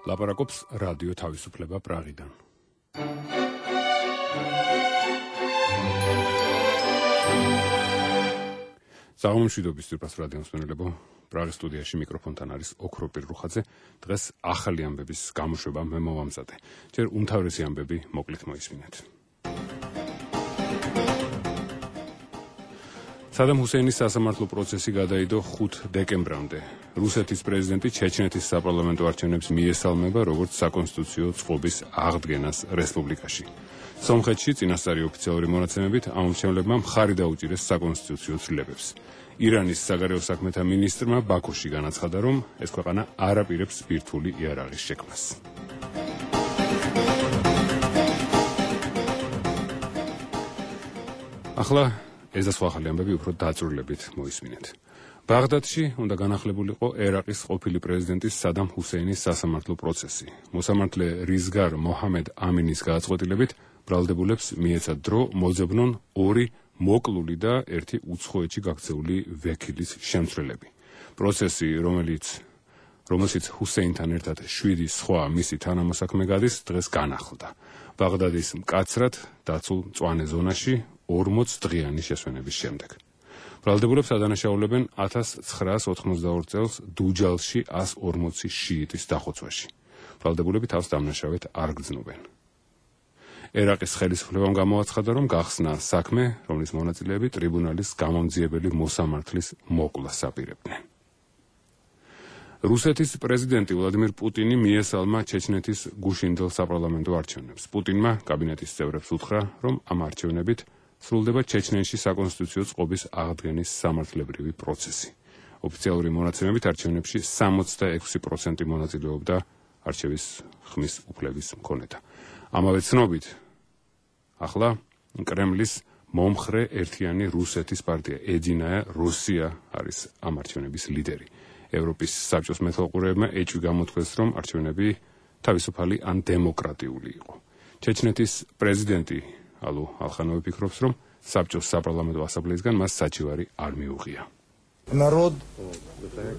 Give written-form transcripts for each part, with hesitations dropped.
ლაპარაკობს რადიო თავისუფლება პრაღიდან. საღამომშვიდობის ძვირფას რადიო მსმენელებო, პრაღის სტუდიაში მიკროფონთან არის ოქროპირ რუხაძე. დღეს ახალი ამბების გამოშვება მე მოვამზადე. ჯერ უმთავრესი ამბები მოკლედ მოისმინეთ. სადამ ჰუსეინის სასამართლო პროცესი გადაიდო 5 დეკემბრამდე. რუსეთის პრეზიდენტი ჩეჩნეთის საპარლამენტო არჩევნებს მიესალმება როგორც საკონსტიტუციო წყობის აღდგენას რესპუბლიკაში. სომხეთში წინასწარი ოფიციალური მონაცემებით ამომრჩევლებმა მხარი დაუჭირეს საკონსტიტუციო ცვლილებებს. ირანის საგარეო საქმეთა მინისტრმა ბაქოში განაცხადა, რომ ეს ქვეყანა არ აპირებს ბირთვული იარაღის შექმნას. ახლა ეს და სხვა ახალი ამბები უფრო დაწვრილებით მოისმინეთ. ბაღდადში უნდა განახლებულიყო ერაყის ყოფილი პრეზიდენტის სადამ ჰუსეინის სასამართლო პროცესი. მოსამართლე რიზგარ მოჰამედ ამინის გააწყვეტილებით ბრალდებულებს მიეცათ დრო მოძებნონ 2 მოკლული და 1 უცხოეთში გაქცეული ვექილის შემცვლელები. პროცესი, რომელშიც ჰუსეინთან ერთად 7 სხვა მისი თანამოსაქმე გადის, დღეს განახლდა. ბაღდადის მკაცრად დაცულ მწვანე ზონაში 40 დღიანი შესვენების შემდეგ. ბრალდებულებს ადანაშაულებენ 1982 წელს დუჯალში 140 შიიტის დახოცვაში. ბრალდებულები თავს დამნაშავედ არ გრძნობენ. ერაყის ხელისუფლებამ გამოაცხადა, რომ გახსნა საქმე, რომლის მონაწილეები ტრიბუნალის გამომძიებელი მოსამართლის მოკვლას აპირებდნენ. რუსეთის პრეზიდენტი ვლადიმირ პუტინი მიესალმა ჩეჩნეთის გუშინდელ საპარლამენტო არჩევნებს. პუტინმა კაბინეტის წევრებს უთხრა, რომ ამ არჩევნებით სრულდება ჩეჩნეთში საკონსტიტუციო წყობის აღდგენის სამართლებრივი პროცესი. ოფიციალური მონაცემებით არჩევნებში 66% მონაწილეობდა არჩევის ხმის უფლების მქონეთა. ამავე ცნობით, ახლა კრემლის მომხრე ერთიანი რუსეთის პარტია ედინაია რუსია არის ამ არჩევნების ლიდერი. ევროპის საბჭოს მეთვალყურეებმა ეჭვი გამოთქვეს, რომ არჩევნები თავისუფალი ან დემოკრატიული იყო. ჩეჩნეთის პრეზიდენტი ალუ ალხანოვი ფიქრობს, რომ საბჭოს საპარლამენტო ასამბლეისგან მას საჩივარი არ მიუღია. Народ,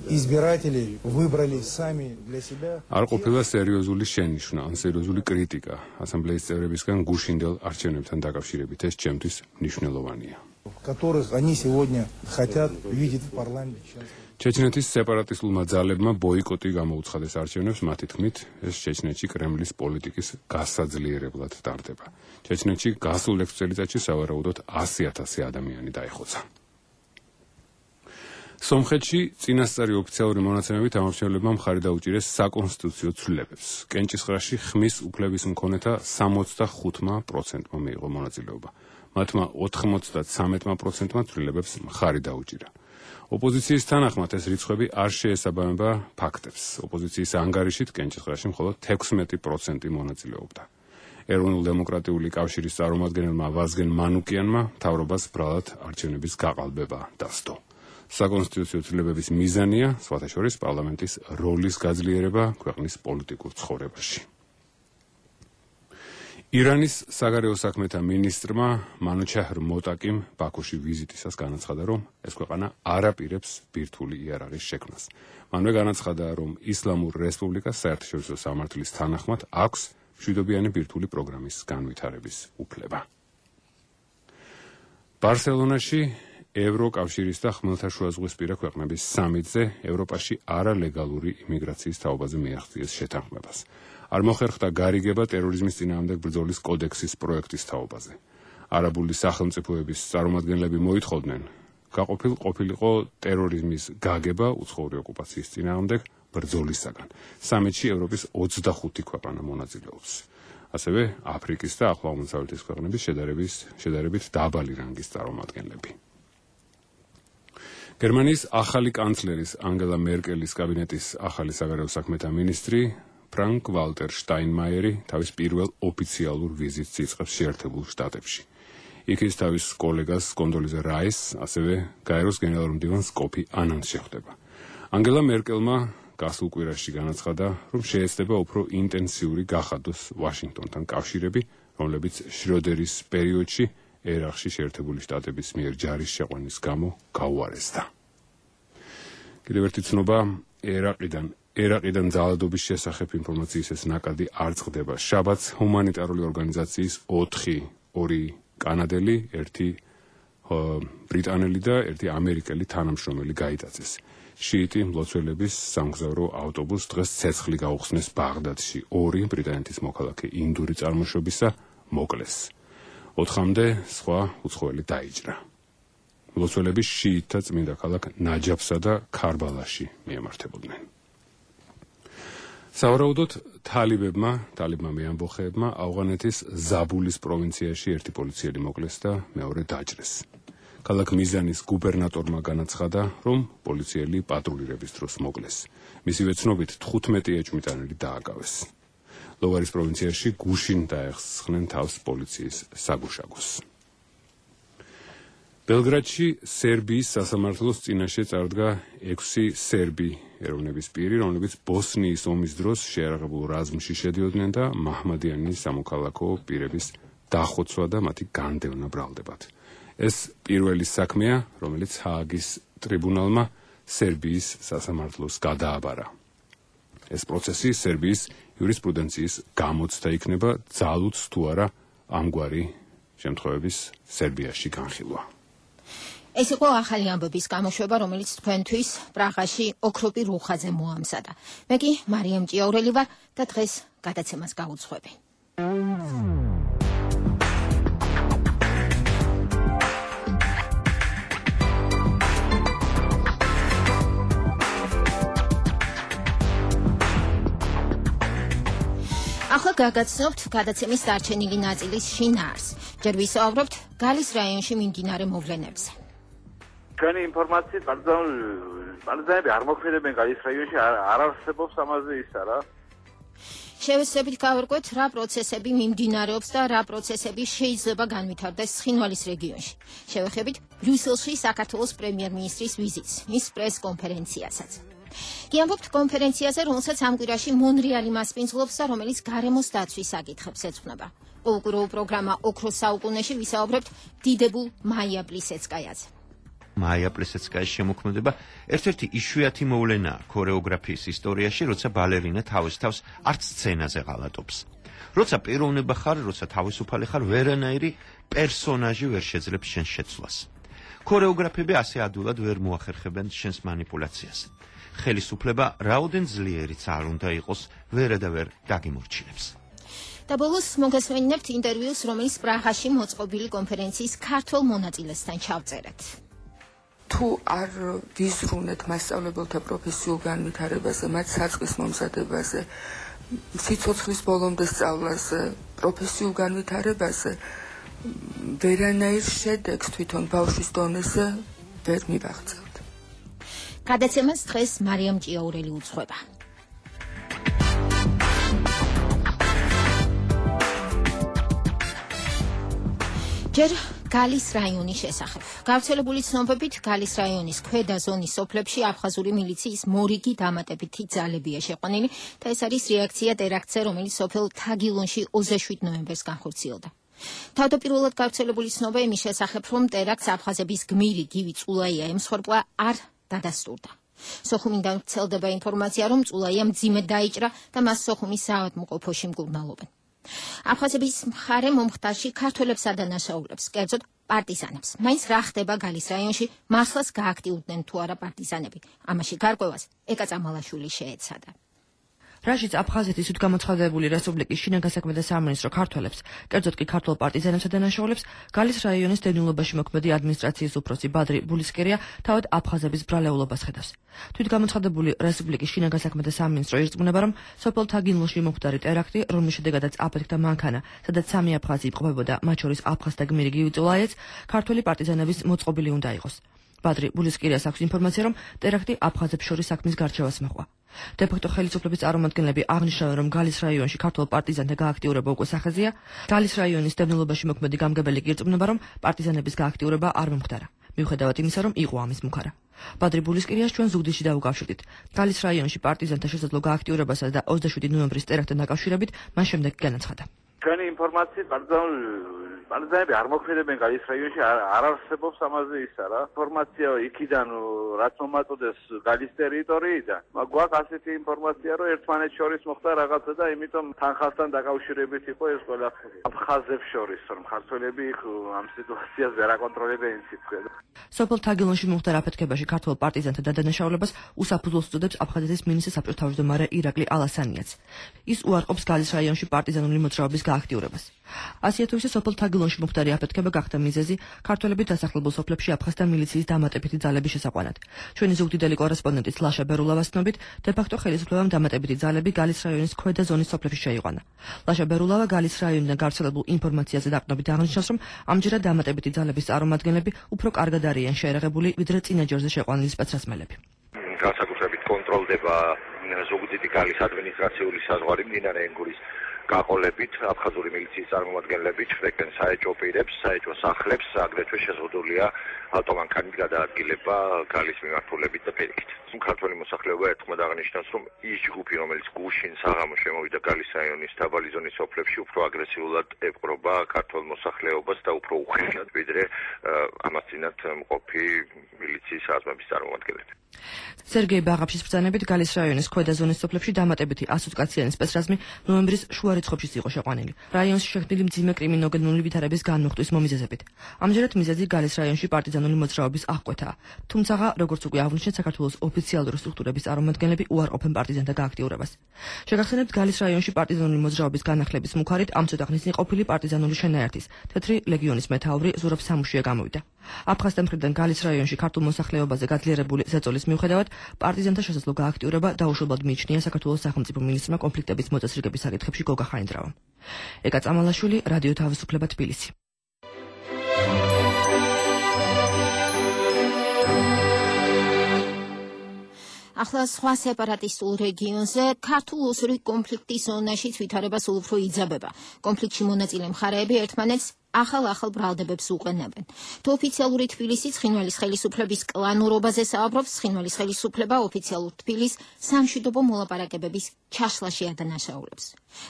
избиратели выбрали сами для себя. არ ყოფილა სერიოზული შენიშვნა ან სერიოზული კრიტიკა ასამბლეის წევრებისგან გუშინდელ არჩევნებთან დაკავშირებით. ეს ჩემთვის მნიშვნელოვანია. Которых они сегодня хотят видеть в парламенте. ჩეჩნეთის სეპარატისტულმა ძალებმა ბოიკოტი გამოუცხადეს არჩევნებს, მათი თქმით, ეს ჩეჩნეთში კრემლის პოლიტიკის გასაძლიერებლად ტარდება. ჩეჩნეთში გასულ 6 წელიწადში სავარაუდოდ 100,000 ადამიანი დაეხოცა. სომხეთში წინასწარი ოფიციალური მონაცემებით ამომრჩევლებმა მხარი დაუჭირეს საკონსტიტუციო ცვლილებებს. კენჭისყრაში ხმის უფლების მქონეთა 65%-მა მიიღო მონაწილეობა. მათმა 93%-მა ცვლილებებს მხარი დაუჭირა. ოპოზიციის თანახმად ეს რიცხვები არ შეესაბამება ფაქტებს. ოპოზიციის ანგარიშით კენჭისყრაში მხოლოდ 16% მონაწილეობდა. ეროვნულ-დემოკრატიული კავშირის წარმომადგენელმა ვაზგენ მანუკიანმა მთავრობას ბრალად არჩევნების გაყალბება დასდო. საკონსტიტუციო ცვლილებების მიზანია, სხვათა შორის, პარლამენტის როლის გაძლიერება ქვეყნის პოლიტიკურ ცხოვრებაში. ირანის საგარეო საქმეთა მინისტრმა მანუჩაჰრ მოტაკიმ ბაქოში ვიზიტისას განაცხადა, რომ ეს ქვეყანა არ აპირებს ბირთვული იარაღის შექმნას. მანვე განაცხადა, რომ ისლამურ რესპუბლიკას საერთაშორისო სამართლის თანახმად აქვს მშვიდობიანი ბირთვული პროგრამის განვითარების უფლება. ბარსელონაში ევროკავშირის და ხმელთაშუაზღვისპირა ქვეყნების სამიტზე ევროპაში არალეგალური იმიგრაციის თაობაზე მიაღწიეს შეთანხმებას. არ მოხერხდა გარიგება ტერორიზმის წინააღმდეგ ბრძოლის კოდექსის პროექტის თაობაზე. არაბული სახელმწიფოების წარმომადგენლები მოითხოვდნენ, ყოფილიყო ტერორიზმის გაგება უცხოური ოკუპაციის წინააღმდეგ ბრძოლისაგან. სამიტში ევროპის 25 ქვეყანა მონაწილეობს. ასევე აფრიკის და ახლო აღმოსავლეთის ქვეყნების შედარებით დაბალი რანგის წარმომადგენლები. გერმანიის ახალი კანცლერის ანგელა მერკელის კაბინეტის ახალი საგარეო საქმეთა მინისტრი ფრანკ ვალტერ შტაინმაიერი თავის პირველ ოფიციალურ ვიზიტს იწყებს შეერთებულ შტატებში. იქ ის თავის კოლეგას კონდოლიზა რაისს, ასევე გაეროს გენერალურ-მდივანს კოფი ანანს შეხვდება. ანგელა მერკელმა გასულ კვირაში განაცხადა, რომ შეეცდება უფრო ინტენსიური გახადოს ვაშინგტონთან კავშირები, რომლებიც შროდერის პერიოდში ერაყში შეერთებული შტატების მიერ ჯარის შეყვანის გამო გაუარესდა. კიდევ ერთი ცნობა, ერაყიდან ერაყიდან ძალადობის შესახებ ინფორმაციის ეს ნაკადი არ წყდება. შაბათს ჰუმანიტარული ორგანიზაციის 2 კანადელი, 1 ბრიტანელი და 1 ამერიკელი თანამშრომელი გაიტაცეს. შიიტი მლოცველების სამგზავრო ავტობუსს დღეს ცეცხლი გაუხსნეს ბაღდადში. 2 ბრიტანეთის მოქალაქე ინდური წარმოშობისა მოკლეს. 4-მდე სხვა უცხოელი დაიჭრა. მლოცველები შიიტთა წმინდა ქალაქ ნაჯაფსა და ქარბალაში მიემართებოდნენ. სავარაუდოდ თალიბმა მეამბოხეებმა ავღანეთის ზაბულის პროვინციაში 1 პოლიციელი მოკლეს და მეორე დაჭრეს. ქალაქ მიზანის გუბერნატორმა განაცხადა, რომ პოლიციელი პატრულირების დროს მოკლეს. მისივე ცნობით 15 ეჭვმიტანილი დააკავეს. ლოვარის პროვინციაში გუშინ დაეხსნენ თავს პოლიციის საგუშაგოს. ბელგრადში სერბიის სასამართლოს წინაშე წარდგა 6 სერბი ეროვნების პირი, რომლებიც ბოსნიის ომის დროს შეიარაღებულ რაზმში შედიოდნენ და მაჰმადიანის სამოქალაქო პირების დახოცვა და მათი განდევნა ბრალდებათ. ეს პირველი საქმეა, რომელიც ჰააგის ტრიბუნალმა სერბიის სასამართლოს გადააბარა. ეს პროცესი სერბიის იურისპრუდენციის გამოცდა იქნება, ძალუც თუ არა ამგვარი შემთხვევების სერბიაში განხილვა. ეს იყო ახალი ამბების გამოშვება, რომელიც თქვენთვის პრაღაში ოქროპი რუხაძე მოამზადა. მე კი მარიამ ჭიაურელი ვარ და დღეს გადაცემას გავუძღვები. ახლა გაგაცნობთ გადაცემის დარჩენილი ნაწილის შინაარს. ჯერ ვისაუბრებთ გალის რაიონში მიმდინარე მოვლენებზე. Თქვენი ინფორმაციით პარტიზანები არ მოქმედებენ გალის რაიონში, არ არსებობს ამაზე ისა რა. შევეცდებით გავერკვეთ, რა პროცესები მიმდინარეობს და რა პროცესები შეიძლება განვითარდეს ცხინვალის რეგიონში. შევეხებით ბრიუსელში საქართველოს პრემიერ-მინისტრის ვიზიტს, მის პრეს-კონფერენციასაც. გიამბობთ კონფერენციაზე, რომელსაც ამ კვირაში მონრეალი მასპინძლობს და რომელიც გარემოს დაცვის საკითხებს ეძღვნება. ყოველკვირეულ პროგრამა ოქროს საუკუნეში ვისაუბრებთ დიდებულ მაია პლისეცკაიაზე. მაია პლისეცკაის შემოქმედება ერთ-ერთი იშვიათი მოვლენაა ქორეოგრაფიის ისტორიაში, როცა ბალერინა თავის თავს არც სცენაზე ღალატობს. როცა პიროვნება ხარ, როცა თავისუფალი ხარ, ვერანაირი პერსონაჟი ვერ შეძლებს შენს შეცვლას. ქორეოგრაფები ასე ადვილად ვერ მოახერხებენ შენს манипуляციას. ხელისუფლება რაოდენ ძლიერიც არ უნდა იყოს, ვერადავერ დაგიმორჩილებს. და ბოლოს მოგესმენინებთ ინტერვიუს, რომელიც პრაღაში მოწყობილი კონფერენციის ქართველ მონაწილესთან ჩავწერეთ. თუ არ ვიზრუნეთ მასწავლებელთა პროფესიულ განვითარებაზე, მათ საწყის მომზადებაზე, სიცოცხლის ბოლომდე სწავლაზე, პროფესიულ განვითარებაზე, ვერანაირ შედეგს თვითონ ბავშვის დონეზე ვერ მივაღწევთ. გადაცემას დღეს მარიამ ჭიაურელი უძღვება. ჯერ გალის რაიონის შესახებ. გავრცელებული ცნობებით გალის რაიონის ქვედა ზონის სოფლებში აფხაზური მილიციის მორიგი დამატებითი ძალებია შეყვანილი და ეს არის რეაქცია ტერაქტზე, რომელიც სოფელ თაგილონში 27 ნოემბერს განხორციელდა. თავდაპირველად გავრცელებული ცნობა იმის შესახებ, რომ ტერაქტს აფხაზების გმირი გივი წულაია ემსხვერპლა არ დადასტურდა. სოხუმიდან ვრცელდება ინფორმაცია, რომ წულაია მძიმედ დაიჭრა და მას სოხუმის საავადმყოფოში მკურნალობენ. აფხაზების მხარე მომხდარში ქართველებს ადანაშაულებს, კერძოდ პარტიზანებს. მაინც რა ხდება გალის რაიონში, მართლაც გააქტიურდნენ თუ არა პარტიზანები. ამაში გარკვევას ეკა წამალაშვილი შეეცადა. რაშიც აფხაზეთის თვითგამოცხადებული რესპუბლიკის შინაგან საქმეთა სამინისტრო ქართველებს, კერძოდ კი ქართულ პარტიზანებს ადანაშაულებს, გალის რაიონის დევნილობაში მოქმედი ადმინისტრაციის უფროსი ბადრი ბულისკერია თავად აფხაზების ბრალეულობას ხედავს. თვითგამოცხადებული რესპუბლიკის შინაგან საქმეთა სამინისტრო ირწმუნება, რომ სოფელ თაგილონში მომხდარი ტერაქტი, რომლის შედეგადაც აფეთქდა მანქანა, სადაც 3 აფხაზი იმყოფებოდა, მათ შორის აფხაზთა გმირი გივი წულაიაც, ქართველი პარტიზანების მოწყობილი უნდა იყოს. ბადრი ბულისკერიას აქვს ინფორმაცია, რომ ტერაქტი აფხაზებს შორის საქმის გარჩევას მოჰყვა. დე-ფაქტო ხელისუფლების წარმომადგენლები აღნიშნავენ, რომ გალის რაიონში ქართულ პარტიზანთა გააქტიურება უკვე სახეზეა. გალის რაიონის დევნილობაში მოქმედი გამგებელი ირწმუნება, რომ პარტიზანების გააქტიურება არ მომხდარა. მიუხედავად იმისა, რომ იყო ამის მუქარა. ბადრი ბულისკერიას ჩვენ ზუგდიდში დავუკავშირდით. გალის რაიონში პარტიზანთა შესაძლო გააქტიურებასა და 27 ნოემბრის ტერაქტთან დაკავშირებით მან შემდეგ განაცხადა. თქვენი ინფორმაციით პარტიზანულ პარტიზანები არ მოქმედებენ გალის რაიონში, არ არსებობს ამაზე ისა რა. ინფორმაცია იქიდან რაც მომაწოდეს გალის ტერიტორიიდან. გვაქვს ასეთი ინფორმაცია, რომ ერთმანეთს შორის მოხდა რაღაცა და იმიტომ თანხასთან დაკავშირებით იყო ეს ყველაფერი. აფხაზებს შორის, რომ ქართველები ამ სიტუაციას ვერ აკონტროლებენ სიტყვით. სოფელ თაგილონში მოხდა აფეთქებაში ქართველ პარტიზანთა დადანაშაულებას უსაფუძვლოს უწოდებს აფხაზეთის მინისტრ საბჭოს თავმჯდომარე ირაკლი ალასანიაც. ის უარყოფს გალის რაიონში პარტიზანული მოძრაობის გააქტიურებას. ასია თუ ისე სოფელ თაგილონში მოხდარი აფეთქება გახდა მიზეზი ქართველების დასახლებულ სოფლებში აფხაზთა მილიციის დამატებითი ძალების შესაყვანად. ჩვენი ზუგდიდელი კორესპონდენტის ლაშა ბერულავას ცნობით, დე-ფაქტო ხელისუფლებამ დამატებითი ძალები გალის რაიონის ქვედა ზონის სოფლებში შეიყვანა. ლაშა ბერულავა გალის რაიონიდან გავრცელებულ ინფორმაციაზე დაყრდნობით აღნიშნავს, რომ ამჯერად დამატებითი ძალების წარმომადგენლები უფრო კარგად არიან შეერაღებული, ვიდრე წინა ჯერზე შეყვანილი სპეცრაზმელები. განსაკუთრებით კონტროლდება ზუგდიდი გალის ადმინისტრაციული საზღვარი მდინარე ენგურის გაყოლებით, აფხაზური მილიციის წარმომადგენლები ჩხრეკენ საეჭვო პირებს, საეჭვო სახლებს, აგრეთვე შეზღუდულია ავტომანქანით გადაადგილება გალის მიმართულებით და პირიქით. ქართველი მოსახლეობა ერთხმად აღნიშნავს, რომ ის ჯგუფი, რომელიც გუშინ საღამოს შემოვიდა გალის რაიონის დაბალი ზონის სოფლებში, უფრო აგრესიულად ეპყრობა ქართველ მოსახლეობას და უფრო უხეშად, ვიდრე ამას წინათ მყოფი მილიციის საზმების წარმომადგენლები. სერგეი ბაღაფშის ბრძანებით გალის რაიონის ქვედა ზონის სოფლებში დამატებითი 100 კაციანი სპეცრაზმი ნოემბრის შუა რიცხვებში იყო შეყვანილი. რაიონში შექმნილი მძიმე კრიმინოგენური ვითარების განმოხტვის მომიზეზებით. ამჯერად მიზეზი გალის რაიონში პარტიზანული მოძრაობის აღკვეთაა. თუმცა, როგორც უკვე აღნიშნეთ, საქართველოს ოფიციალური სტრუქტურების წარმომადგენლები უარყოფენ პარტიზანთა გააქტიურებას. შეგახსენებთ, გალის რაიონში პარტიზანული მოძრაობის განახლების მუხარით ამ ცოტა ხნის ყოფილი პარტიზანული შენაერთის თეთრი ლეგიონის მეთაური ზურაბ სამუშია გამოვიდა. აფხაზთა მხრიდან გალის რაიონში ქართულ მოსახლეობაზე გაძლიერებული ზეწოლის მიუხედავად, პარტიზანთა შესაძლო გააქტიურება დაუშვებლად მიიჩნია საქართველოს სახელმწიფო მინისტრმა კონფლიქტების მოწესრიგების საკითხებში გოგა ხაინდრავამ. ეკა წამალაშვილი, რადიო თავისუფლება, თბილისი. ახლა სხვა სეპარატისტულ რეგიონზე ქართულ ოსური კონფლიქტის ზონაშიც ვითარება სულ უფრო იძაბება. კონფლიქტში მონაწილე მხარეები ერთმანეთს ახალ ბრალდებებს უყენებენ. თუ ოფიციალური თბილისი ცხინვალის ხელისუფლების კლანურობაზე საუბრობს, ცხინვალის ხელისუფლება ოფიციალურ თბილისს სამშვიდობო მოლაპარაკებების ჩაშლაში ადანაშაულებს.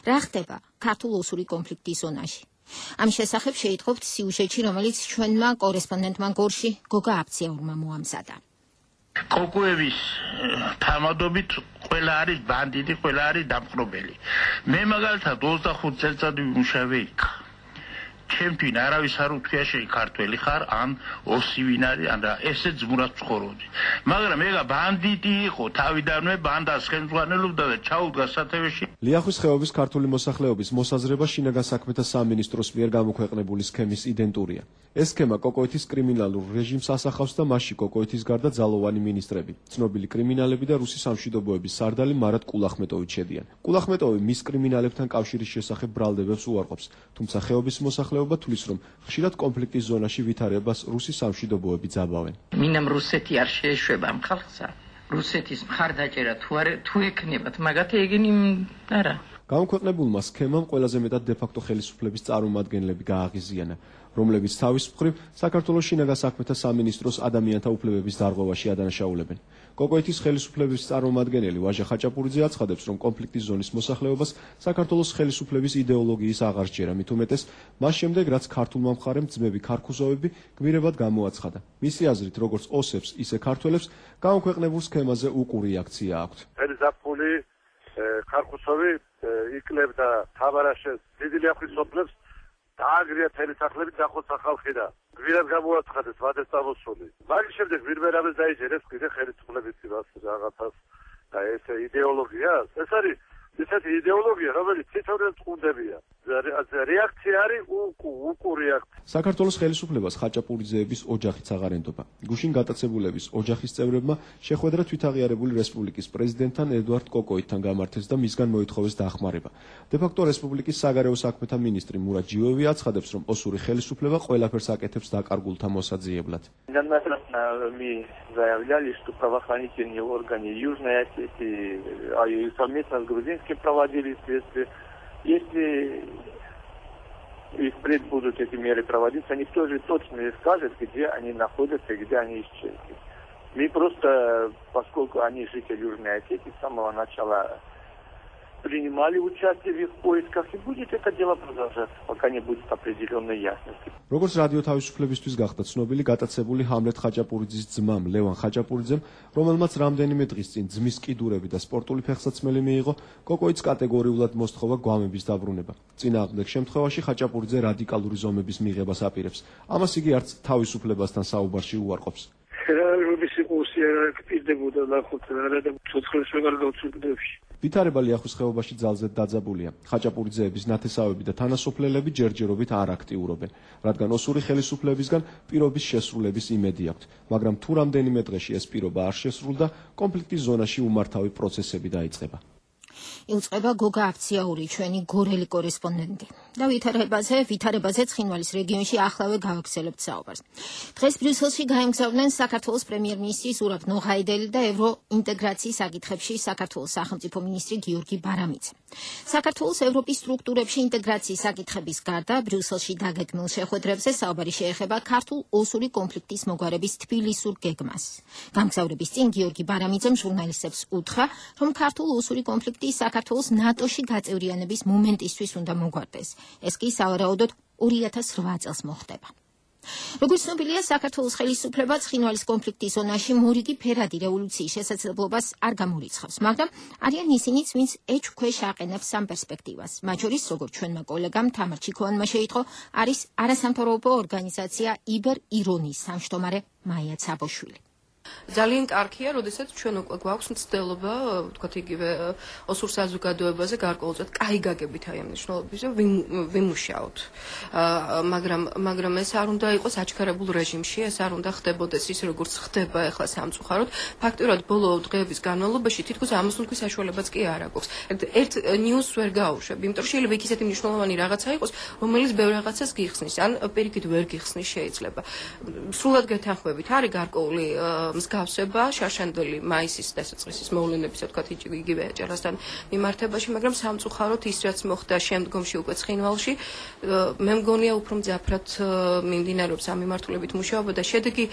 რა ხდება ქართულ ოსური კონფლიქტის ზონაში? ამ შესახებ შეიტყობთ სიუჟეტში, რომელიც ჩვენმა კორესპონდენტმა გორში გოგა აფციაურმა მოამზადა. კოკოევის თამადობით ყველა არის ბანდიტი, ყველა არის დამყრობელი. მე მაგალითად 25 წელიწადი ვიმუშავე იქ. ჩემთვის არავის არ უთქვია შენ ქართველი ხარ, ან ოსი ვინ არის, ან რა, ესე ძმურად ცხოვრობდი. მაგრამ ეგა ბანდიტი იყო, თავიდანვე ბანდას ხელმძღვანელობდა და ჩაუდგა სათავეში. ლიახვის ხეობის ქართული მოსახლეობის მოსაზრება შინაგან საქმეთა სამინისტროს მიერ გამოქვეყნებული სქემის იდენტურია. ეს სქემა კოკოეთის კრიმინალურ რეჟიმს ასახავს და მასში კოკოეთის გარდა ძალოვანი მინისტრები, ცნობილი კრიმინალები და რუსი სამშვიდობოების სარდალი მარად კულახმეტოვი შედიან. კულახმეტოვი მის კრიმინალებთან კავშირის შესახებ ბრალდებებს უარყოფს, თუმცა ხეობის მოსახლეობა თulis რომ ხშირად კონფლიქტის ზონაში ვითარებას რუსი სამშვიდობოები ძაბავენ. მინამ რუსეთი არ შეეშვება ამ ხალხსა. რუსეთის მხარდაჭერა თუ ექნებათ, მაგათი ეგენი არა. გამოქვეყნებულმა სქემამ ყველაზე მეტად დე-ფაქტო ხელისუფლების წარმომადგენლები გააღიზიანა, რომლებიც თავის მხრივ საქართველოს შინაგან საქმეთა სამინისტროს ადამიანთა უფლებების დარღვევაში ადანაშაულებენ. კოკოეთის ხელისუფლების წარმომადგენელი ვაჟა ხაჭაპურიძე აცხადებს, რომ კონფლიქტის ზონის მოსახლეობას საქართველოს ხელისუფლების იდეოლოგიის აღარ სჯერა, მით უმეტეს მას შემდეგ, რაც ქართულმა მხარემ ძმები ქარქუსოვები გმირებად გამოაცხადა. მისი აზრით, როგორც ოსებს, ისე ქართველებს გამოქვეყნებულ სქემაზე უყური რეაქცია აქვთ. ფერზაფხული ქარქუსოვი იკლებდა თაბარაშეს დიდი ლიახვის სოფლებს, დააგრია თელი სახლები, დახოცა ხალხი და გვირად გამოაცხადეს ვადეს წამოსული. მაგის შემდეგ ვირმერავეს დაიჯერეს კიდე ხელისუფლების რაღაცას და ეს იდეოლოგია, ეს არის ისეთი იდეოლოგია, რომელიც თითოეულ წყუნდებია. რეაქცია არის უკუ რეაქცია. საქართველოს ხელისუფლებას ხაჭაპურიძეების ოჯახიც აღარ ენდობა. გუშინ გატაცებულების ოჯახის წევრებმა შეხვედრა თვითაღიარებული რესპუბლიკის პრეზიდენტთან ედუარდ კოკოითთან გამართეს და მისგან მოითხოვეს დახმარება. დე-ფაქტო რესპუბლიკის საგარეო საქმეთა მინისტრი მურად ჯიოევი აცხადებს, რომ ოსური ხელისუფლება ყველაფერს აკეთებს დაკარგულთა მოსაძიებლად. Мы заявляли, что правоохранительные органы Южной Осетии, совместно с грузинским проводили следствие. Если и впредь будут эти меры проводиться, никто же точно не скажет, где они находятся и где они исчезли. Мы просто, поскольку они жители Южной Осетии, с самого начала принимали участие в их поисках и будет это дело продолжаться, пока не будет определенной ясности. როგორც რადიო თავისუფლებისთვის გახდა ცნობილი გატაცებული ჰამლეთ ხაჭაპურიძის ძმამ ლევან ხაჭაპურიძემ, რომელმაც რამდენიმე დღის წინ ძმის კიდურები და სპორტული ფეხსაცმელი მიიღო, კოკოიც კატეგორიულად მოსთხოვა გვამების დაბრუნება. წინააღმდეგ შემთხვევაში ხაჭაპურიძე რადიკალური ზომების მიღებას აპირებს. ამას იგი არც თავისუფლებასთან საუბარში უარყოფს. რამის იყოს რა კიდებოდა ნახოთ რა და ცოცხლებს ვეღარ გავწვდებში. ვითარება ლიახვის ხეობაში ძალზედ დაძაბულია. ხაჭაპურიძეების ნათესავები და თანასოფლელები ჯერჯერობით არ აქტიურობენ, რადგან ოსური ხელისუფლებისგან პირობის შესრულების იმედი აქვთ, მაგრამ თუ რამდენიმე დღეში ეს პირობა არ შესრულდა, კონფლიქტის ზონაში უმართავი პროცესები დაიწყება. იუწყება გოგა აფციაური, ჩვენი გორელი კორესპონდენტი. და ვითარებაზე ცხინვალის რეგიონში ახლავე გავაგრძელებთ საუბარს. დღეს ბრიუსელში გაემგზავრნენ საქართველოს პრემიერ-მინისტრი ზურაბ ნოღაიდელი და ევროინტეგრაციის საკითხებში საქართველოს სახელმწიფო მინისტრი გიორგი ბარამიძე. საქართველოს ევროპის სტრუქტურებში ინტეგრაციის საკითხების გარდა ბრიუსელში დაგეგმილ შეხვედრებზე საუბარი შეეხება ქართულ-ოსური კონფლიქტის მოგვარების თბილისურ გეგმას. გამგზავრების წინ გიორგი ბარამიძემ ჟურნალისტებს უთხრა, რომ ქართულ-ოსური კონფლიქტი საქართველოს ნატოში გაწევრიანების მომენტისთვის უნდა მოგვარდეს. ეს კი სავარაუდოდ 2008 წელს მოხდება. როგორც ცნობილია, საქართველოს ხელისუფლება ცხინვალის კონფლიქტის ზონაში მორიგი ფერადი რევოლუციის შესაძლებლობას არ გამორიცხავს, მაგრამ არიან ისინიც, ვინც ეჭვქვეშ აყენებს ამ პერსპექტივას. მათ შორის, როგორც ჩვენმა კოლეგამ თამარ ჩიქოვანმა შეიტყო, არის არასამთავრობო ორგანიზაცია იბერ ირონის თავმჯდომარე მაია ცაბოშვილი. ძალიან კარგია, როდესაც ჩვენ უკვე გვაქვს მცდელობა, ვთქვათ, იგივე ოსურ საზოგადოებაზე გარკვეულწოდ კაი გაგებით აი ამ მნიშვნელობაზე ვიმუშაოთ. მაგრამ ეს არ უნდა იყოს აჩქარებულ რეჟიმში, ეს არ უნდა ხდებოდეს ის, როგორც ხდება ახლა სამწუხაროდ. ფაქტობრივად ბოლო დღეების განმავლობაში თითქოს ამოსუნთქვის საშუალებაც კი არ აქვს. ერთ ნიუსს ვერ გაუშვებ, იმიტომ რომ შეიძლება იქ ისეთი მნიშვნელოვანი რაღაცა იყოს, რომელიც ბევრ რაღაცას გიხსნის, ან პირიქით ვერ გიხსნის შეიძლება. სრულად გეთანხმებით, არის გარკვეული მსგავსება შარშანდელი მაისის დასაწყისის მოვლენების, თქვათ, იგივე ეჭერასთან მიმართებაში, მაგრამ სამწუხაროდ ის, რაც მოხდა შემდგომში უკვე ცხინვალში, მე მგონია უფრო მძაფრად მიმდინარეობს ამ მიმართულებით მუშაობა და შედეგი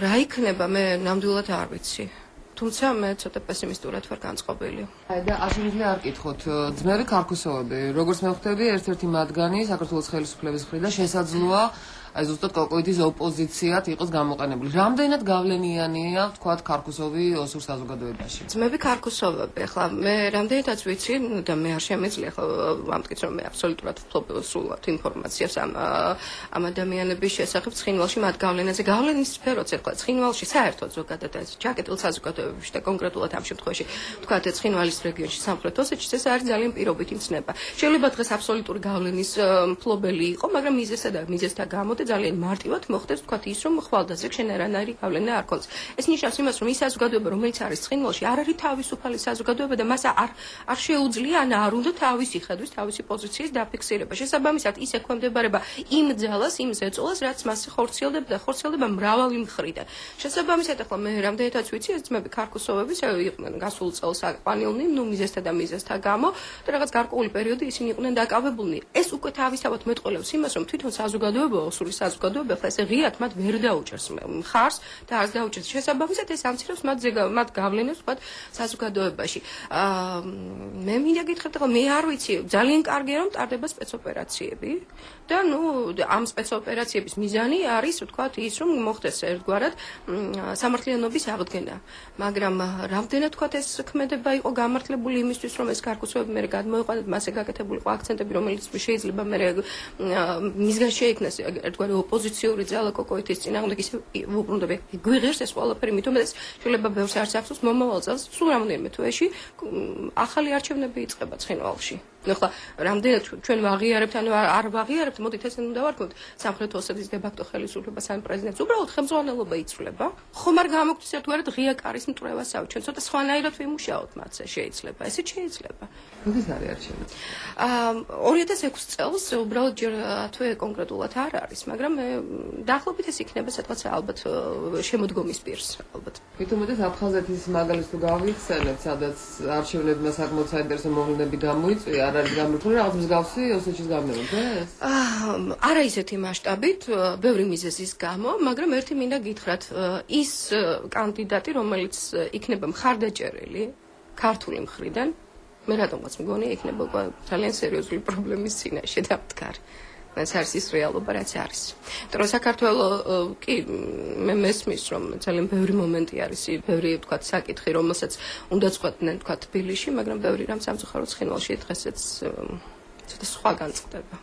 რა იქნება, მე ნამდვილად არ ვიცი. თუმცა მე ცოტა პესიმისტურად ვარ განწყობილი. და აშენილი არ კითხოთ, ძმები ქარქუსოვები, როგორც მე ხვდები, ერთ-ერთი მათგანი საქართველოს ხელისუფლების მხრიდან შესაძლოა აი ზუსტად კოკოიდის ოპოზიციად იყოს გამოყენებული. რამდენად გავლენიანია, ვთქვათ, ქარქუსოვი ოსურ საზოგადოებაში? ძმები ქარქუსოვები, ახლა მე რამდენადაც ვიცი და მე არ შემეძლია ახლა ვამტკიც, რომ მე აბსოლუტურად ვფლობ სრულად ინფორმაციას ამ ადამიანების შესახებ ცხინვალში მათ გავლენაზე. გავლენის სფეროც ახლა ცხინვალში საერთოდ ზოგადად ეს ჩაკეტილ საზოგადოებებში და კონკრეტულად ამ შემთხვევაში, ვთქვათ, ცხინვალის რეგიონში სამხრეთ ოსეთში ეს არის ძალიან პირობითი მცნება. შეიძლება დღეს აბსოლუტური გავლენის მფლობელი იყო, მაგრამ მიზეზთა გამო ძალიან მარტივად მოხდეს, თქვათ, ის, რომ ხვალდაზე შენერანაირი გავლენა არ ქონდეს. ეს ნიშნავს იმას, რომ ის საზოგადოება, რომელიც არის ცხინვალში, არ არის თავისუფალი საზოგადოება და მას არ შეუძლია, ან არ უნდა თავისი ხედვის, თავისი პოზიციის დაფიქსირება. შესაბამისად, ის ექვემდებარება იმ ძალას, იმ ზეწოლას, რაც მასზე ხორციელდება მრავალი მხრიდან. შესაბამისად, ახლა მე რამდენადაც ვიცი, ეს ძმები ქარქუსოვების იყვნენ გასულ წელს აყვანილნი, მიზეზთა გამო და რაღაც გარკვეული პერიოდი ისინი იყვნენ დაკავებულნი. ეს უკვე თავისთავად მეტყველებს იმას, რომ თვითონ საზოგადოება საზოგადოება ხა ესე ღიად მათ ვერ დაუჭერს მხარს და არც დაუჭერს შესაბამისად ეს ამცირებს მათ გავლენას ვთქვათ საზოგადოებაში. მე მინდა გითხრათ, რომ მე არ ვიცი, ძალიან კარგია რომ ტარდება სპეცოპერაციები და ამ სპეცოპერაციების მიზანი არის ვთქვათ ის, რომ მოხდეს ერთგვარად სამართლიანობის აღდგენა. მაგრამ რამდენად ვთქვათ ეს ქმედება იყო გამართლებული იმისთვის, რომ ეს ქარქუსოვები მე გადმოეყვანათ მასზე გაკეთებული ყო აქცენტები, რომელიც შეიძლება მე მისგან შეიქმნას ერთგვარი ოპოზიციური ძალა კოკოიეთის წინააღმდეგ ისე უბრუნდები გვიღერს ეს ყველაფერი, მithom ეს შეიძლება ბევრს არც ახსოვს მომავალ წელს სულ რამოდენიმე თვეში ახალი არჩევნები იწყება ცხინვალში. ახლა რამდენად ჩვენ ვაღიარებთ, ანუ არ ვაღიარებთ, მოდით ესე უნდა ვარქვით, სამხრეთ ოსეთის დებაქტო ხელისუფლებას ან პრეზიდენტს უბრალოდ ხელმძღვანელობა იცვლება. ხომ არ გამოგვდის ერთგვარად ღია კარის მტრევასავით, ჩვენ ცოტა სხვანაირად ვიმუშაოთ მათზე, შეიძლება, ესეც შეიძლება. როდის არის არჩევნები? 2006 წელს უბრალოდ ჯერ თვე კონკრეტულად არ არის, მაგრამ დაახლოებით ეს იქნება სადღაც ალბათ შემოდგომის პირს, ალბათ. მithumetes აფხაზეთის მაგალითს თუ გავიხსენებთ, სადაც არჩევნებმა საკმაოდ საინტერესო მოვლენები გამოიწვია, არ არის გამართული რაღაც მსგავსი ოსეთის გამეორდა ეს? არა ისეთი მასშტაბით, ბევრი მიზეზის გამო, მაგრამ ერთი მინდა გითხრათ, ის კანდიდატი, რომელიც იქნება მხარდაჭერილი ქართული მხრიდან, მე რატომაც მგონი იქნება ძალიან სერიოზული პრობლემის წინაშე დამდგარი. ეს არის ის რეალობა, რაც არის. თორემ საქართველოს კი მე მესმის რომ ძალიან ბევრი მომენტი არის, ბევრი თქვა საკითხი, რომელსაც უნდა წყვეტდნენ თქვა თბილისში, მაგრამ ბევრი რამ სამწუხაროდ ცხინვალში დღესაც ცოტა სხვა განწყდება.